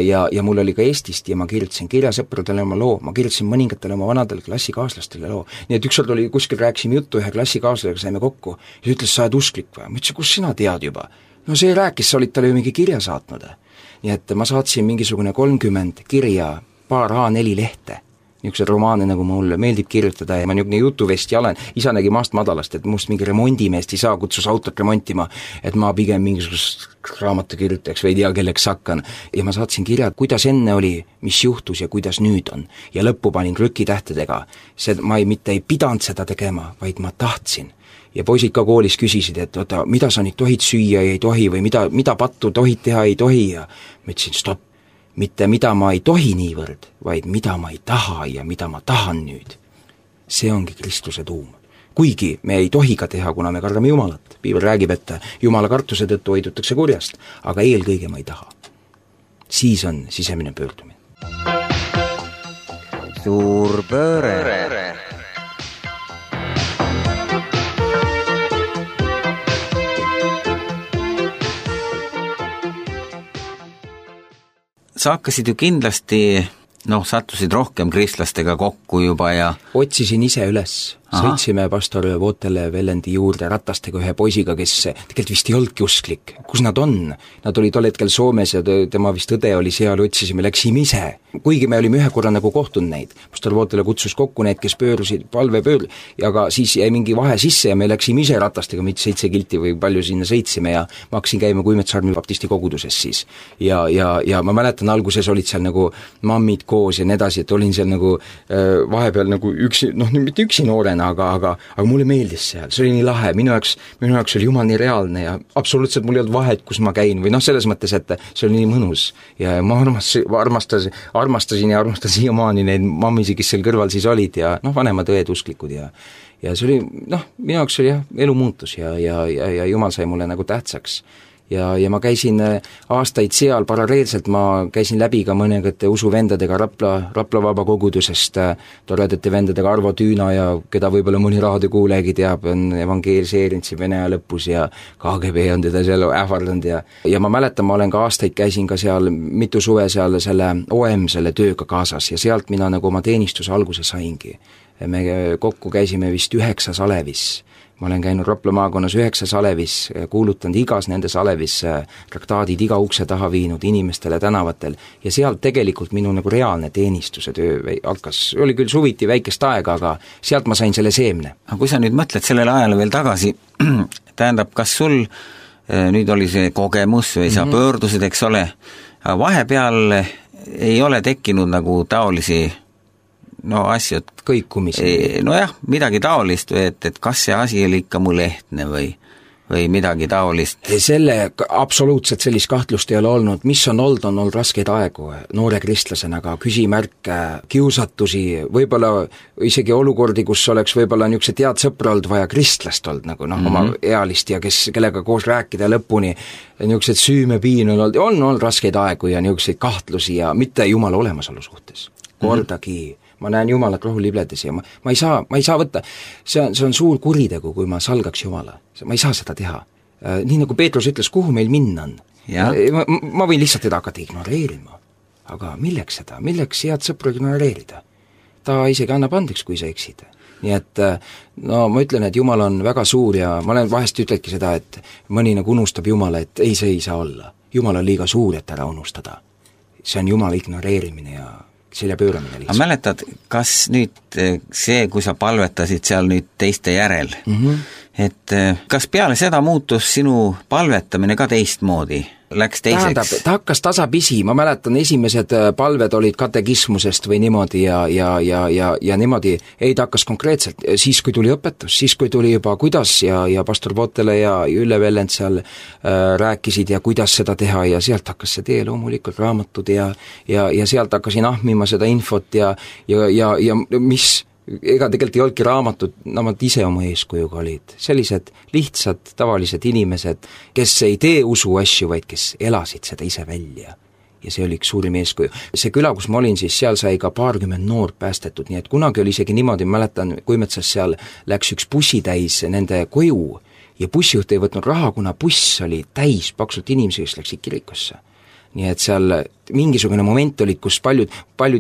ja mul oli ka Eestist ja ma kirjutasin kirjasõprudele oma loo, ma kirjutasin mõningatele oma vanadele klassikaaslastele loo. Nii et ükskord oli kuskil rääkisime juttu ühe klassikaaslasega, saime kokku ja ütles, sa oled usklik või? Ma ütlesin, kus sina tead juba? No see rääkis, sa olid talle ju mingi kirja saatnud. Nii et ma saatsin mingisugune 30 kirja, paar A4 lehte, niisugused romaane, nagu mulle meeldib kirjutada ja ma niisugune jutuvesti olen, isa nägi maast madalast, et must mingi remondimeest ei saa, kutsus autot remontima, et ma pigem mingisugust raamatukirjutajaks või ei tea, kelleks hakkan. Ja ma saatsin kirjad, kuidas enne oli, mis juhtus ja kuidas nüüd on. Ja lõppu panin krükitähtedega. Ma mitte ei pidanud seda tegema, vaid ma tahtsin. Ja poisid ka koolis küsisid, et oota, mida sa nüüd tohid süüa ja ei tohi või mida pattu tohid teha ei tohi ja ma ütlesin, stopp. Mitte mida ma ei tohi niivõrd, vaid mida ma ei taha ja mida ma tahan nüüd. See ongi Kristuse tuum. Kuigi me ei tohi ka teha, kuna me kardame Jumalat. Piibel räägib, et Jumala kartuse tõttu hoidutakse kurjast, aga eelkõige ma ei taha. Siis on sisemine pöördumine. Suur pööre. Sa hakkasid ju kindlasti, sattusid rohkem kristlastega kokku juba ja... Otsisin ise üles. Sõitsime pastor Vootele Vellendi juurde ratastega ühe poisiga, kes tegelikult vist ei olnudki usklik. Kus nad on? Nad olid tol hetkel Soomes ja tema vist õde oli seal, otsisime, läksime ise. Kuigi me olime ühe korra nagu kohtunud neid. Pastor Vootele kutsus kokku need, kes pöörusid, ja aga siis jäi mingi vahe sisse ja me läksime ise ratastega, mitte 7 kilti või palju sinna sõitsime ja ma hakkasin käima Kuimetsarmi baptisti koguduses siis. Ja ma mäletan, alguses olid seal nagu mammid koos ja nedasi, et olin seal nagu vahepeal nagu üksi, mitte üksi noorena, aga mulle meeldis seal, see oli nii lahe, minu jaoks oli Jumal nii reaalne ja absoluutselt mul ei olnud vahet, kus ma käin või selles mõttes, et see oli nii mõnus ja ma armastasin siiamaani neid mammisi, kes seal kõrval siis olid ja vanemad õed usklikud ja see oli, minu jaoks oli elu muutus ja Jumal sai mulle nagu tähtsaks. Ja ma käisin aastaid seal, paralleelselt ma käisin läbi ka mõningate usuvendadega Rapla vabakogudusest, toredate vendadega Arvo Tüüna ja keda võib-olla mõni raadiokuulegi teab, on evangeeliseerinud siin Vene aja lõpus ja KGB on teda seal ähvardanud ja ma mäletan, ma olen ka aastaid käisin ka seal mitu suve seal selle OM selle tööga kaasas ja sealt mina nagu oma teenistuse alguse saingi. Me kokku käisime vist 9 alevis. Ma olen käinud Rapla maakonnas 9 alevis, kuulutanud igas nendes alevis traktaadid iga ukse taha viinud inimestele tänavatel ja sealt tegelikult minu nagu reaalne teenistuse töö hakkas, oli küll suviti väikest aega, aga sealt ma sain selle seemne. Aga kui sa nüüd mõtled sellele ajale veel tagasi, tähendab, kas sul nüüd oli see kogemus või sa pöördusid, eks ole, aga vahepeal ei ole tekkinud nagu taolisi asju, et kõikumisi. Midagi taolist või et kas see asi oli ikka mul ehtne või midagi taolist? Absoluutselt sellist kahtlust ei ole olnud. Mis on olnud raskeid aegu noore kristlasena, aga küsimärke, kiusatusi, võib-olla isegi olukordi, kus oleks võib-olla niisugused head sõpra olnud vaja kristlast olnud, nagu oma ealist ja kellega koos rääkida lõpuni, niisugused süümepiin on olnud raskeid aegu ja niisuguseid kahtlusi ja mitte Jumala olemasolu suhtes. Kordagi ma näen Jumalat rohulibledes ja ma ei saa võtta, see on suur kuritegu, kui ma salgaks Jumala. Ma ei saa seda teha. Nii nagu Peetrus ütles, kuhu meil minna on. Ma võin lihtsalt teda hakata ignoreerima. Aga milleks seda? Milleks head sõpru ignoreerida? Ta isegi annab andeks, kui sa eksid. Nii et ma ütlen, et Jumal on väga suur ja ma olen vahest ütledki seda, et mõni nagu unustab Jumala, et see ei saa olla. Jumal on liiga suur, et ära unustada. See on Jumala ignoreerimine ja selja pööramine lihtsalt. Mäletad, kas nüüd see, kui sa palvetasid seal nüüd teiste järel, et kas peale seda muutus sinu palvetamine ka teistmoodi? Läks teiseks? Ta hakkas tasapisi, ma mäletan, esimesed palved olid katekismusest või niimoodi ja niimoodi, ta hakkas konkreetselt, siis kui tuli õpetus, siis kui tuli juba kuidas ja pastor Vootele ja Ülle Vellend seal rääkisid ja kuidas seda teha ja sealt hakkas see tee loomulikult raamatud ja sealt hakkasin ahmima seda infot ja mis ega tegelikult ei olnudki raamatud, nad ise oma eeskujuga olid. Sellised lihtsad, tavalised inimesed, kes ei tee usu asju, vaid kes elasid seda ise välja. ja see oli üks suurim eeskuju. See küla, kus ma olin, siis seal sai ka 20 noort päästetud, nii et kunagi oli isegi niimoodi, mäletan, Kuimetsas seal läks üks bussitäis nende koju ja bussijuht ei võtnud raha, kuna buss oli täis paksult inimesi, kes läksid kirikusse. Nii et seal mingisugune moment olid, kus paljud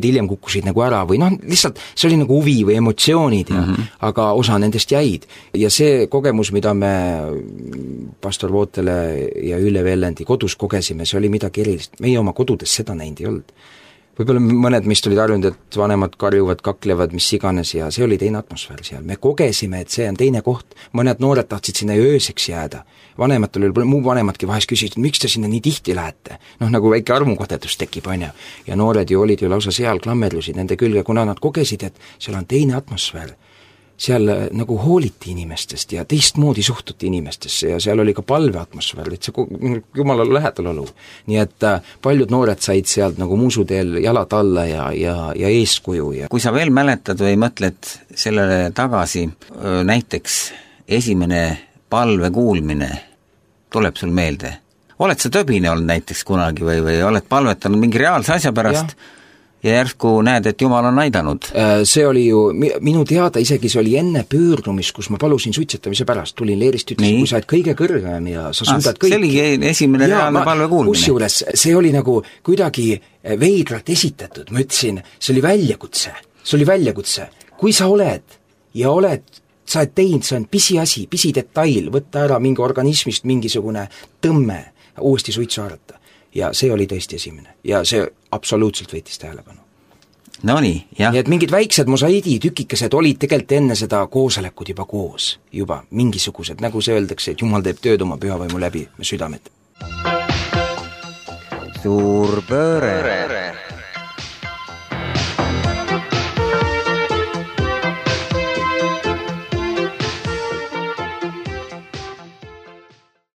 hiljem kukkusid nagu ära või lihtsalt see oli nagu huvi või emotsioonid ja, aga osa nendest jäid. Ja see kogemus, mida me pastor Vootele ja Ülle Vellendi kodus kogesime, see oli midagi erilist. Meie oma kodudes seda näinud ei olnud. Võib-olla mõned meist olid arjunud, et vanemad karjuvad, kaklevad, mis iganes ja see oli teine atmosfäär seal. Me kogesime, et see on teine koht. Mõned noored tahtsid sinna ööseks jääda. Vanematel oli, muu vanemadki vahest küsisid, miks te sinna nii tihti lähete? Nagu väike armukodetus tekib, on ja noored ju olid ju lausa seal, klammerlusid nende külge, kuna nad kogesid, et seal on teine atmosfäär. Seal nagu hooliti inimestest ja teistmoodi suhtuti inimestesse ja seal oli ka palveatmosfäär, et see jumala lähedal olu. Nii et paljud noored said sealt nagu muusuteel jalad alla ja eeskuju. Ja kui sa veel mäletad või mõtled sellele tagasi, näiteks esimene palve kuulmine tuleb sul meelde? Oled sa töbine olnud näiteks kunagi või oled palvetanud mingi reaalse asja pärast? Ja järsku näed, et Jumal on aidanud. See oli ju, minu teada isegi see oli enne pöördumist, kus ma palusin suitsetamise pärast, tulin leerist, ütlesin, kui sa oled kõige kõrgem ja sa suudad kõik. See oli esimene reaalne palve kuulmine. Kusjuures see oli nagu kuidagi veidralt esitatud, ma ütlesin, see oli väljakutse. Kui sa oled ja sa oled teinud, see on pisiasi, pisidetail, võtta ära mingi organismist mingisugune tõmme, uuesti suitsu haarata. Ja see oli tõesti esimene. Ja see absoluutselt võitis tähelepanu. No nii, jah. Nii et mingid väiksed mosaidi tükikesed olid tegelikult enne seda koosolekud juba koos. Juba mingisugused, nagu see öeldakse, et Jumal teeb tööd oma pühavaimu läbi me südamed. Suur pööre.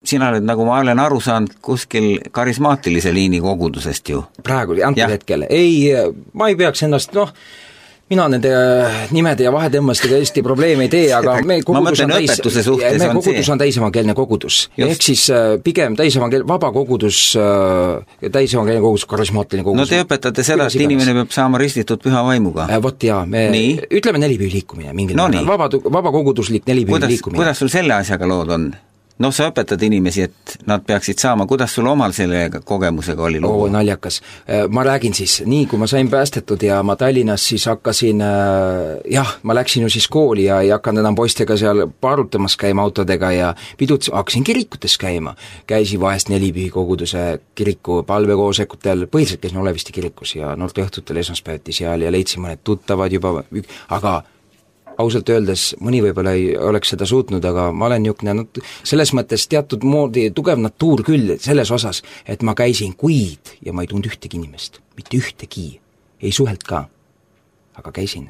Sina oled, nagu ma olen aru saanud, kuskil karismaatilise liini kogudusest ju. Praegu, antud hetkel. Ei, ma ei peaks ennast, mina nende nimede ja vahetõmmastega Eesti probleeme ei tee, aga me kogudus on täisevangeelne kogudus. Ehk siis pigem vaba kogudus, täisevangeelne kogudus, karismaatiline kogudus. No te õpetate seda, et inimene peab saama ristitud püha vaimuga. Vot jaa, ütleme nelipüü liikumine. Vaba koguduslik nelipüü liikumine. Kuidas sul selle asjaga lood on? No sa õpetad inimesi, et nad peaksid saama, kuidas sul omal selle kogemusega oli lugu? Naljakas. Ma räägin siis, nii kui ma sain päästetud ja ma Tallinnas siis hakkasin, ma läksin ju siis kooli ja ei hakanud enam poistega seal paarutamas käima autodega ja hakkasin kirikutes käima. Käisin vahest nelipühi koguduse kiriku palvekoosekutel, põhiliselt käisin Olevisti kirikus ja noorte õhtutel esmaspäeviti seal ja leidsin mõned tuttavad juba, aga ausalt öeldes mõni võib-olla ei oleks seda suutnud, aga ma olen niisugune selles mõttes teatud moodi tugev natuur küll selles osas, et ma käisin kuid ja ma ei tundnud ühtegi inimest, mitte ühtegi, ei suhelt ka, aga käisin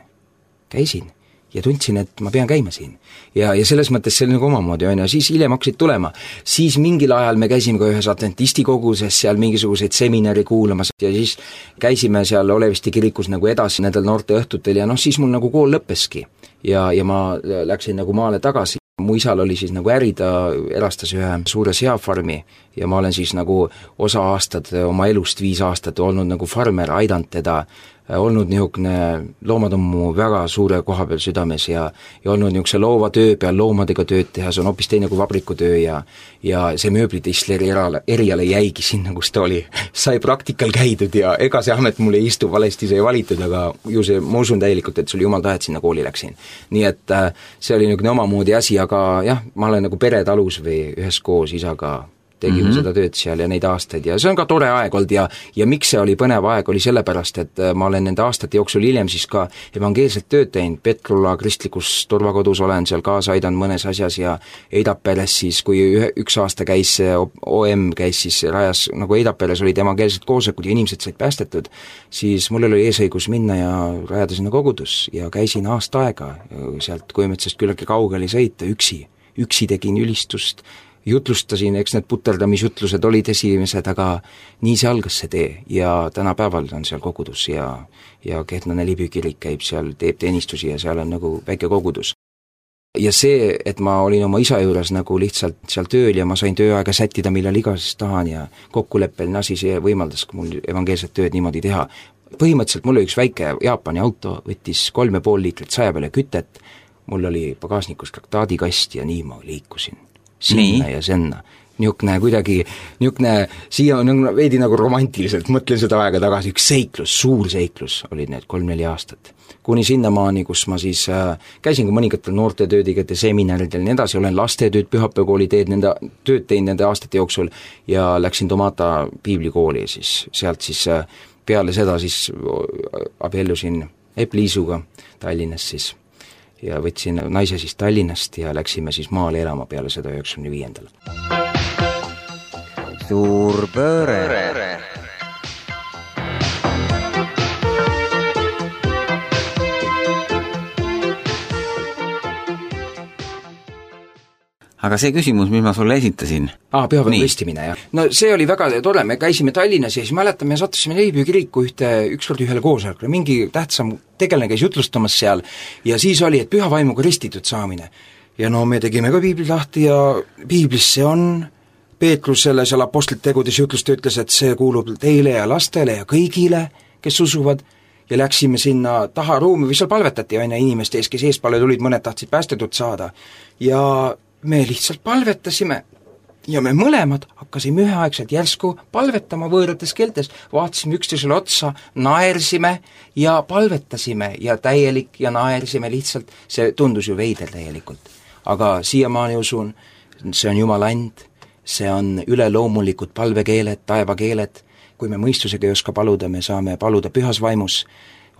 ja tundsin, et ma pean käima siin. Ja selles mõttes see oli nagu omamoodi, ja siis hiljem hakkasid tulema. Siis mingil ajal me käisime ka ühes adventisti koguses seal mingisuguseid seminari kuulamas ja siis käisime seal Olevisti kirikus nagu edasi nendel noorte õhtutel ja siis mul nagu kool lõppeski. Ja ma läksin nagu maale tagasi. Mu isal oli siis nagu äri, ta erastas ühe suure seafarmi ja ma olen siis nagu osa aastad oma elust 5 aastat olnud nagu farmer, aidanud teda, olnud niisugune, loomad on mu väga suure koha peal südames ja olnud niisuguse loova töö peal loomadega tööd teha, see on hoopis teine kui vabrikutöö ja see mööblitistleri eriale jäigi sinna, kus ta oli. Sai praktikal käidud ja ega see amet mulle ei istu, valesti sai valitud, aga ju see, ma usun täielikult, et sul jumal tahet sinna kooli läksin. Nii et see oli niisugune omamoodi asi, aga jah, ma olen nagu peretalus või üheskoos isaga tegime seda tööd seal ja neid aastaid ja see on ka tore aeg olnud ja miks see oli põnev aeg, oli sellepärast, et ma olen nende aastate jooksul hiljem siis ka evangeelselt tööd teinud, Petrula kristlikus turvakodus olen seal kaasa aidanud mõnes asjas ja Eidaperes siis, kui üks aasta käis OM käis siis rajas, nagu Eidaperes olid evangeelsed koosolekud ja inimesed said päästetud, siis mul oli eesõigus minna ja rajada sinna kogudus ja käisin aasta aega sealt Kuimetsast küllaltki kaugele sõita üksi tegin ülistust, jutlustasin, eks need puterdamisjutlused olid esimesed, aga nii see algas see tee ja tänapäeval on seal kogudus ja Kehtna nelipüü kirik käib seal, teeb teenistusi ja seal on nagu väike kogudus. ja see, et ma olin oma isa juures nagu lihtsalt seal tööl ja ma sain tööaega sättida, millal iganes tahan ja kokkuleppeline asi, see võimaldas mul evangeelset tööd niimoodi teha. Põhimõtteliselt mul oli üks väike Jaapani auto, võttis 3,5 liitrit 100 peale kütet, mul oli pagasnikus traktaadikast ja nii ma liikusin sinna ja senna. Niisugune siia on veidi nagu romantiliselt, mõtlen seda aega tagasi, üks seiklus, suur seiklus olid need 3-4 aastat. Kuni sinnamaani, kus ma siis käisin ka mõningatel noortetöödigete seminaridel ja nii edasi, olen lastetööd, pühapäevakooli tööd teinud nende aastate jooksul ja läksin Tomata piiblikooli ja siis sealt siis peale seda siis abiellusin Epp-Liisuga Tallinnas siis ja võtsin naise siis Tallinnast ja läksime siis maale elama peale seda 95. Suur pööre. Aga see küsimus, mis ma sulle esitasin. Pühapäeva ristimine, jah. No see oli väga tore, me käisime Tallinnas ja siis mäletame, sattusime Leibüü kiriku ükskord ühele koosolekule, mingi tähtsam tegelane käis jutlustamas seal ja siis oli, et püha vaimuga ristitud saamine. Ja no me tegime ka piibli lahti ja piiblis see on, Peetrusele seal apostlite tegudes jutlusta ütles, et see kuulub teile ja lastele ja kõigile, kes usuvad, ja läksime sinna taha ruumi või seal palvetati aina inimeste ees, kes eespalle tulid, mõned tahtsid päästetud saada ja me lihtsalt palvetasime ja me mõlemad hakkasime üheaegselt järsku palvetama võõrates keeltes, vaatasime üksteisele otsa, naersime ja palvetasime ja täielik ja naersime lihtsalt, see tundus ju veider täielikult. Aga siiamaani usun, see on Jumala and, see on üleloomulikud palvekeeled, taevakeeled, kui me mõistusega ei oska paluda, me saame paluda pühas vaimus.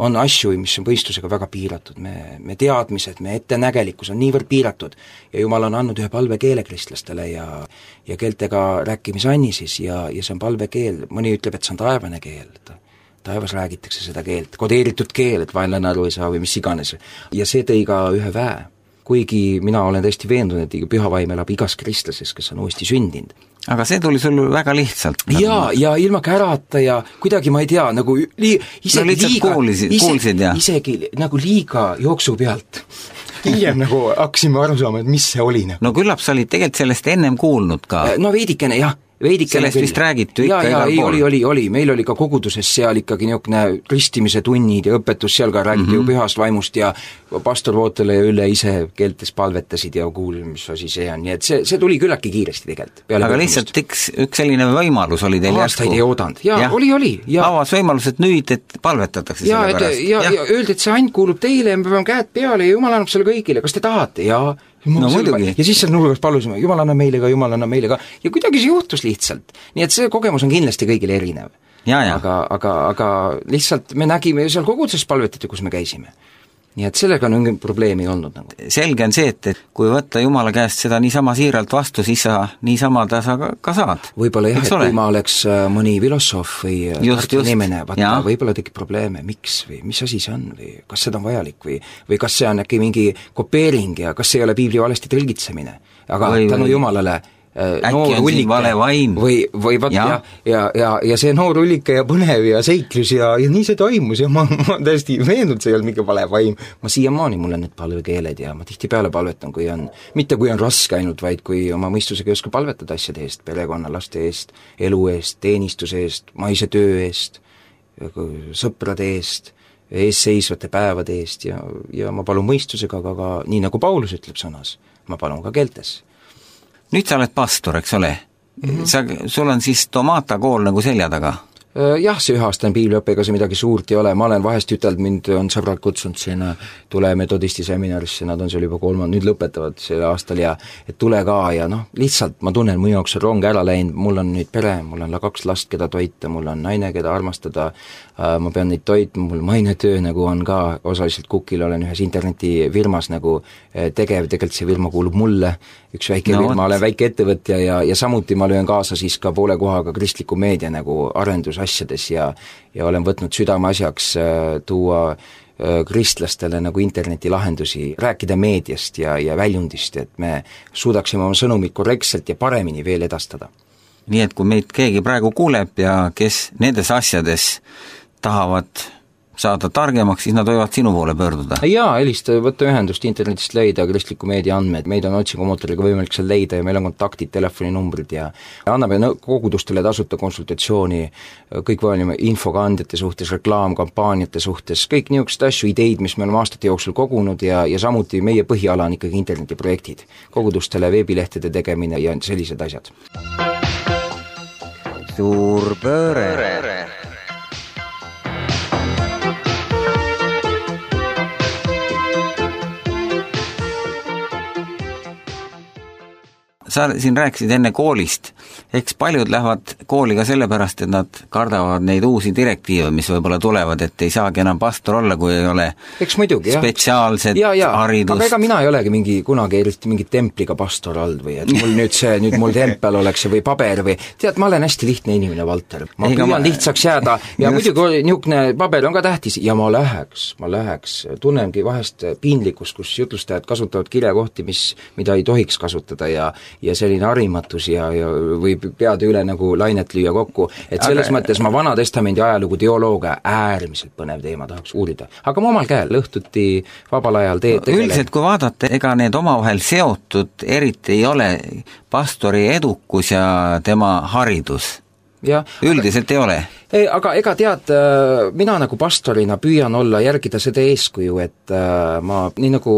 On asju, mis on mõistusega väga piiratud, me teadmised, me ettenägelikkus on niivõrd piiratud ja Jumal on andnud ühe palvekeele kristlastele ja keeltega rääkimisanni siis ja see on palvekeel, mõni ütleb, et see on taevane keel, taevas räägitakse seda keelt, kodeeritud keel, et vaenlane aru ei saa või mis iganes ja see tõi ka ühe väe. Kuigi mina olen tõesti veendunud, et püha vaim elab igas kristlases, kes on uuesti sündinud. Aga see tuli sul väga lihtsalt. Ja ilma kärata ja kuidagi ma ei tea, nagu isegi nagu liiga jooksu pealt. Hiljem nagu hakkasime aru saama, et mis see oli. No küllap sa olid tegelikult sellest ennem kuulnud ka. No veidikene, jah. Sellest vist räägitu ikka igal pool. Oli, meil oli ka koguduses seal ikkagi niisugune ristimise tunnid ja õpetus, seal ka räägiti ju pühast vaimust ja pastor Vootele ja Ülle ise keeltes palvetasid ja kuulid, mis asi see on, nii et see tuli küllaki kiiresti tegelikult. Aga lihtsalt üks selline võimalus oli teil aastaid ei oodanud, oli. Avas võimalus, et nüüd, et palvetatakse selle pärast. Ja öeldi, et see and kuulub teile ja me peame käed peale ja Jumal annab selle kõigile, kas te tahate? No, ja siis seal nurgas palusime, Jumal anna meile ka ja kuidagi see juhtus lihtsalt. Nii et see kogemus on kindlasti kõigile erinev. Aga lihtsalt me nägime seal koguduses palvetati, kus me käisime. Nii et sellega on mingi probleemi olnud. Nagu. Selge on see, et kui võtta Jumala käest seda niisama siiralt vastu, siis sa niisama ta sa ka saad. Võib-olla jah, et kui ma oleks mõni filosoof või inimene, võib-olla tekib probleeme, miks või mis asi see on või kas seda on vajalik või kas see on äkki mingi kopeering ja kas see ei ole piibli valesti tõlgitsemine. Aga tänu Jumalale äkki on siin vale vaim või ja see noor ullike ja põnev ja seiklus ja nii see toimus ja ma täiesti veennud, see ei olnud mingi vale vaim. Ma siiamaani mul on need palvekeeled ja ma tihtipeale palvetan, mitte kui on raske ainult, vaid kui oma mõistusega ei oska palvetada asjade eest, perekonna, laste eest, elu eest, teenistuse eest, maise töö eest, sõprade eest, eesseisvate päevade eest ja ma palun mõistusega, aga nii nagu Paulus ütleb sõnas, ma palun ka keeltes. Nüüd sa oled pastor, eks ole? Sul on siis Tomata kool nagu selja taga? Jah, see 1 aastane piibliõppega see midagi suurt ei ole, ma olen vahest ütelnud, mind on sõbrad kutsunud sinna tule metodisti seminarisse, nad on seal juba 3, nüüd lõpetavad sel aastal ja et tule ka ja lihtsalt ma tunnen, mu jaoks on rong ära läinud, mul on nüüd pere, mul on 2 last, keda toita, mul on naine, keda armastada, ma pean neid toitma, mul mainetöö nagu on ka, osaliselt Kukil olen ühes internetifirmas nagu tegev, tegelikult see firma kuulub mulle, üks väike firma, olen väike ettevõtja ja samuti ma löön kaasa siis ka poole kohaga kristliku meedia nagu arendusasjades ja olen võtnud südameasjaks tuua kristlastele nagu internetilahendusi, rääkida meediast ja väljundist, et me suudaksime oma sõnumit korrektselt ja paremini veel edastada. Nii et kui meid keegi praegu kuuleb ja kes nendes asjades tahavad saada targemaks, siis nad võivad sinu poole pöörduda. Jaa, helista, võtta ühendust, internetist leida kristliku meedia andmed, meid on otsingumootoriga võimalik seal leida ja meil on kontaktid, telefoninumbrid ja anname kogudustele tasuta konsultatsiooni kõikvõimalike infokandjate suhtes, reklaamkampaaniate suhtes, kõik niisugused asju, ideid, mis me oleme aastate jooksul kogunud ja samuti meie põhiala on ikkagi internetiprojektid, kogudustele veebilehtede tegemine ja sellised asjad. Suur pööre. Sa siin rääkisid enne koolist, eks paljud lähevad kooli ka sellepärast, et nad kardavad neid uusi direktiive, mis võib-olla tulevad, et ei saagi enam pastor olla, kui ei ole muidugi, spetsiaalset haridust. Aga ega mina ei olegi kunagi eriti mingi templiga pastor olnud või et mul nüüd mul tempel oleks või paber või tead, ma olen hästi lihtne inimene, Valter. Ma püüan lihtsaks jääda ja muidugi niisugune paber on ka tähtis ja ma läheks, tunnengi vahest piinlikkust, kus jutlustajad kasutavad kirjakohti, mida ei tohiks kasutada ja selline harimatus ja võib peade üle nagu lainet lüüa kokku, et selles mõttes ma Vana Testamendi ajalugu teoloogia äärmiselt põnev teema tahaks uurida. Aga ma omal käel õhtuti vabal ajal tegelen. Üldiselt kui vaadata, ega need omavahel seotud eriti ei ole pastori edukus ja tema haridus. Ja, üldiselt ei ole. Aga ega tead, mina nagu pastorina püüan olla, järgida seda eeskuju, et ma, nii nagu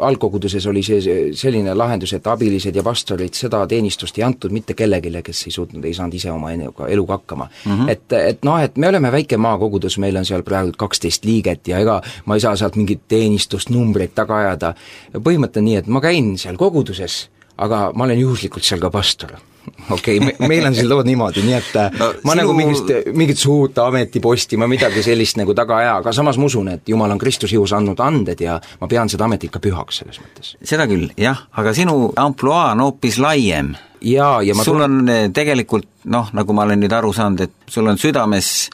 algkoguduses oli selline lahendus, et abilised ja pastorid seda teenistust ei antud mitte kellegile, kes ei saanud ise oma eluga hakkama. Et me oleme väike maakogudus, meil on seal praegu 12 liiget ja ega ma ei saa sealt mingit teenistust, numbreid taga ajada. Põhimõte on nii, et ma käin seal koguduses, aga ma olen juhuslikult seal ka pastor. Okei, meil on siin lood niimoodi, nii et ma nagu mingit suurt ametiposti, ma midagi sellist nagu taga aja, aga samas ma usun, et Jumal on Kristus jõus andnud anded ja ma pean seda ametit ka pühaks selles mõttes. Seda küll, jah, aga sinu ampluaa on hoopis laiem. Ja sul on tegelikult, nagu ma olen nüüd aru saanud, et sul on südames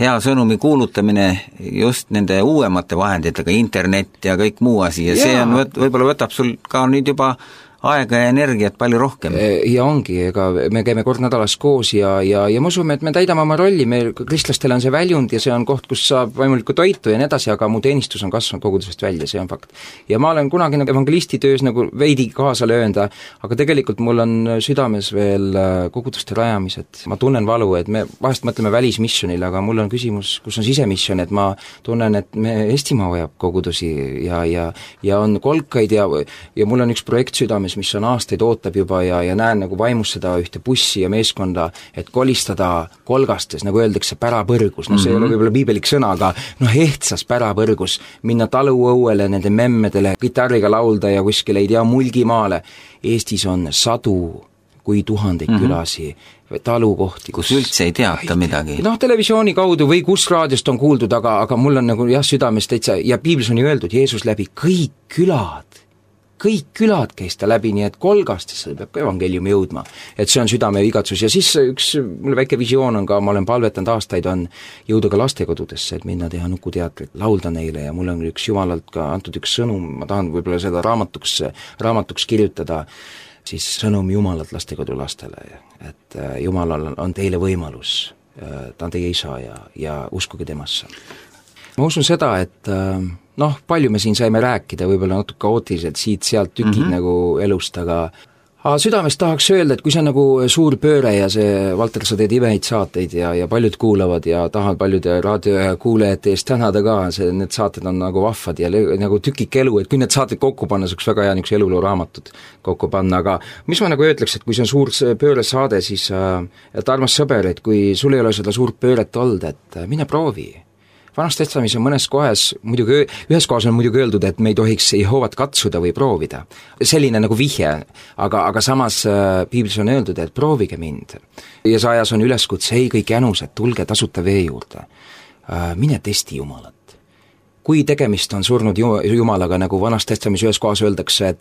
hea sõnumi kuulutamine just nende uuemate vahenditega, internet ja kõik muu asi ja see on, võib-olla võtab sul ka nüüd juba aega ja energiat palju rohkem. Ja ongi, ega me käime kord nädalas koos ja me usume, et me täidame oma rolli, meil kristlastele on see väljund ja see on koht, kus saab vaimulikku toitu ja nii edasi, aga mu teenistus on kasvanud kogudusest välja, see on fakt. Ja ma olen kunagi evangelisti töös nagu veidi kaasa löönda, aga tegelikult mul on südames veel koguduste rajamised. Ma tunnen valu, et me vahest mõtleme välismissionile, aga mul on küsimus, kus on sisemission, et ma tunnen, et Eestimaa vajab kogudusi ja on kolkaid ja mul on üks projekt südames, mis on aastaid ootab juba ja näen nagu vaimus seda ühte bussi ja meeskonda, et kolistada kolgastes, nagu öeldakse, pärapõrgus, see ei ole võib-olla piibelik sõna, aga ehtsas pärapõrgus, minna taluõuele nende memmedele, gitarriga laulda ja kuskile ei tea Mulgimaale. Eestis on sadu kui tuhandeid külasi, talukohti, kus üldse ei teata midagi. Televisiooni kaudu või kus raadiost on kuuldud, aga mul on nagu südames täitsa, ja piiblis on ju öeldud, Jeesus läbi kõik külad käis ta läbi, nii et kolgastesse peab ka evangeliumi jõudma. Et see on südame igatsus ja siis mul väike visioon on ka, ma olen palvetanud aastaid, on jõuda ka lastekodudesse, et minna teha nukuteatrit, laulda neile ja mul on üks Jumalalt ka antud üks sõnum, ma tahan võib-olla seda raamatuks kirjutada, siis sõnum Jumalalt lastekodulastele, et Jumalal on teile võimalus, ta on teie isa ja uskuge temasse. Ma usun seda, et palju me siin saime rääkida, võib-olla natuke kaootiliselt siit-sealt tükid nagu elust, aga südamest tahaks öelda, et kui see on nagu suur pööre ja see, Valter, sa teed imeid saateid ja paljud kuulavad ja tahan paljude raadiokuulajate eest tänada ka, need saated on nagu vahvad ja nagu tükik elu, et kui need saated kokku panna, see oleks väga hea niisuguse eluloo raamatut kokku panna, aga mis ma nagu ütleks, et kui see on suur pööresaade, siis et armas sõber, et kui sul ei ole seda suurt pööret olnud, et mine proovi. Vanas testamis on mõnes kohas, ühes kohas on muidugi öeldud, et me ei tohiks Jehovat katsuda või proovida. Selline nagu vihje, aga samas piiblis on öeldud, et proovige mind. Jesajas on üleskutse, ei kõik jänused, tulge tasuta vee juurde. Mine testi Jumalat. Kui tegemist on surnud Jumalaga, nagu Vanas testamis ühes kohas öeldakse,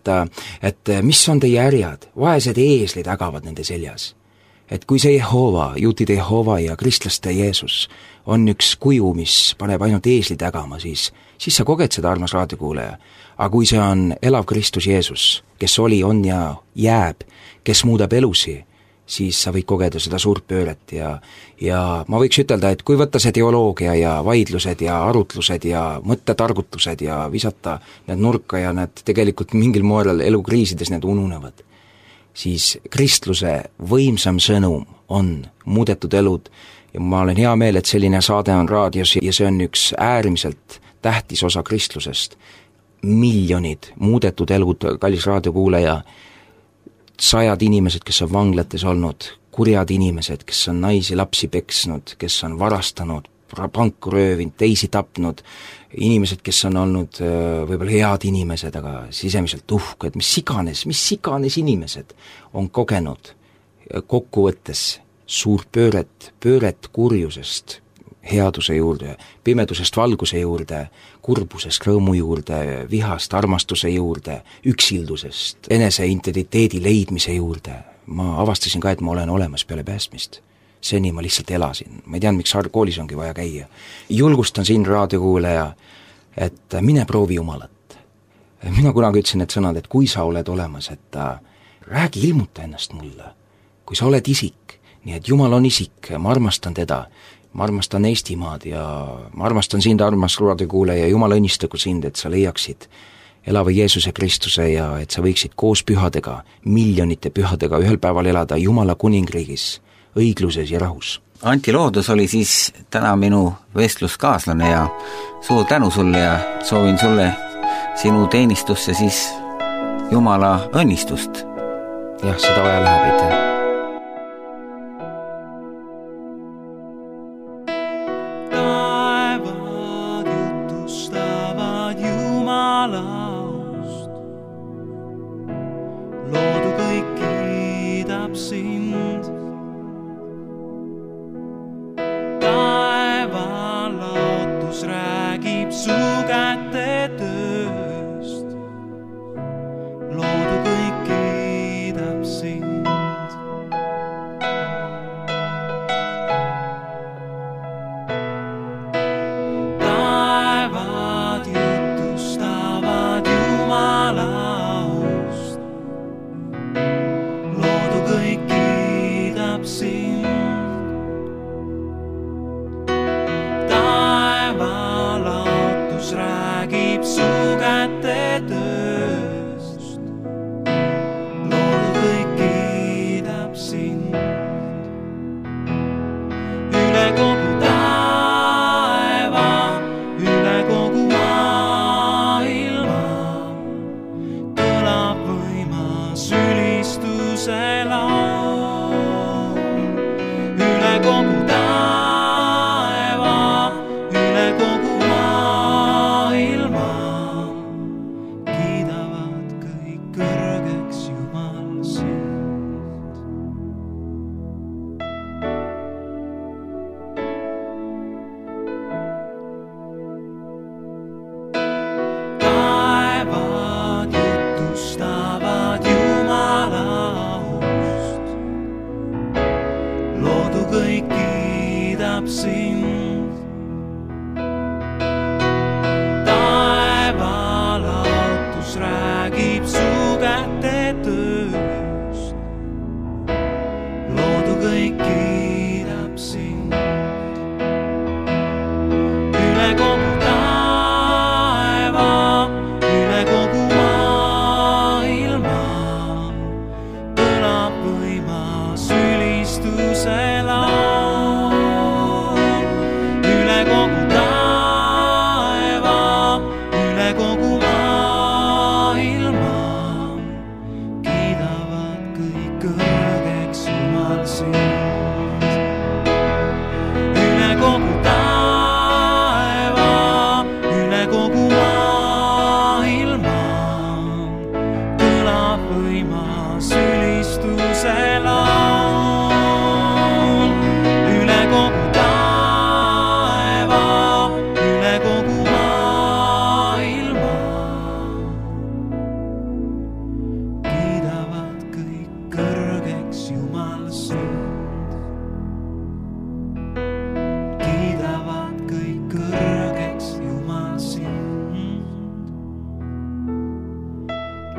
et mis on teie härjad, vaesed eeslid ägavad nende seljas. Et kui see Jehova, juutide Jehova ja kristlaste Jeesus on üks kuju, mis paneb ainult eeslid ägama, siis sa koged seda, armas raadiokuuleja. Aga kui see on elav Kristus Jeesus, kes oli, on ja jääb, kes muudab elusi, siis sa võid kogeda seda suurt pööret ja ma võiks ütelda, et kui võtta see teoloogia ja vaidlused ja arutlused ja mõttetargutused ja visata need nurka ja need tegelikult mingil moel elukriisides need ununevad, siis kristluse võimsam sõnum on muudetud elud ja ma olen hea meel, et selline saade on raadios ja see on üks äärmiselt tähtis osa kristlusest. Miljonid muudetud elud, kallis raadiokuulaja, 100 inimesed, kes on vanglates olnud, kurjad inimesed, kes on naisi, lapsi peksnud, kes on varastanud, panku röövinud, teisi tapnud, inimesed, kes on olnud võib-olla head inimesed, aga sisemiselt uhked, mis iganes inimesed on kogenud kokkuvõttes suurt pööret kurjusest headuse juurde, pimedusest valguse juurde, kurbusest rõõmu juurde, vihast armastuse juurde, üksildusest enese identiteedi leidmise juurde. Ma avastasin ka, et ma olen olemas peale päästmist. Seni ma lihtsalt elasin. Ma ei teadnud, miks koolis ongi vaja käia. Julgustan siin raadiokuulaja, et mine proovi Jumalat. Mina kunagi ütlesin need sõnad, et kui sa oled olemas, et räägi, ilmuta ennast mulle. Kui sa oled isik, nii et Jumal on isik, ma armastan teda, ma armastan Eestimaad ja ma armastan sind, armas raadiokuulaja, Jumal õnnistagu sind, et sa leiaksid elava Jeesuse Kristuse ja et sa võiksid koos pühadega, miljonite pühadega ühel päeval elada Jumala kuningriigis, õigluses ja rahus. Anti Loodus oli siis täna minu vestluskaaslane ja suur tänu sulle ja soovin sulle sinu teenistusse siis Jumala õnnistust. Jah, seda vaja läheb, aitäh.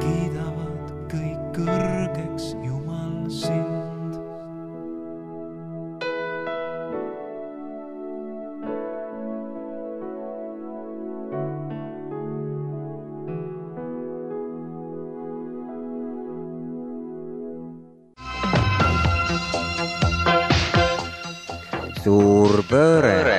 Kiidavad kõik kõrgeks Jumal sind. suur pööre.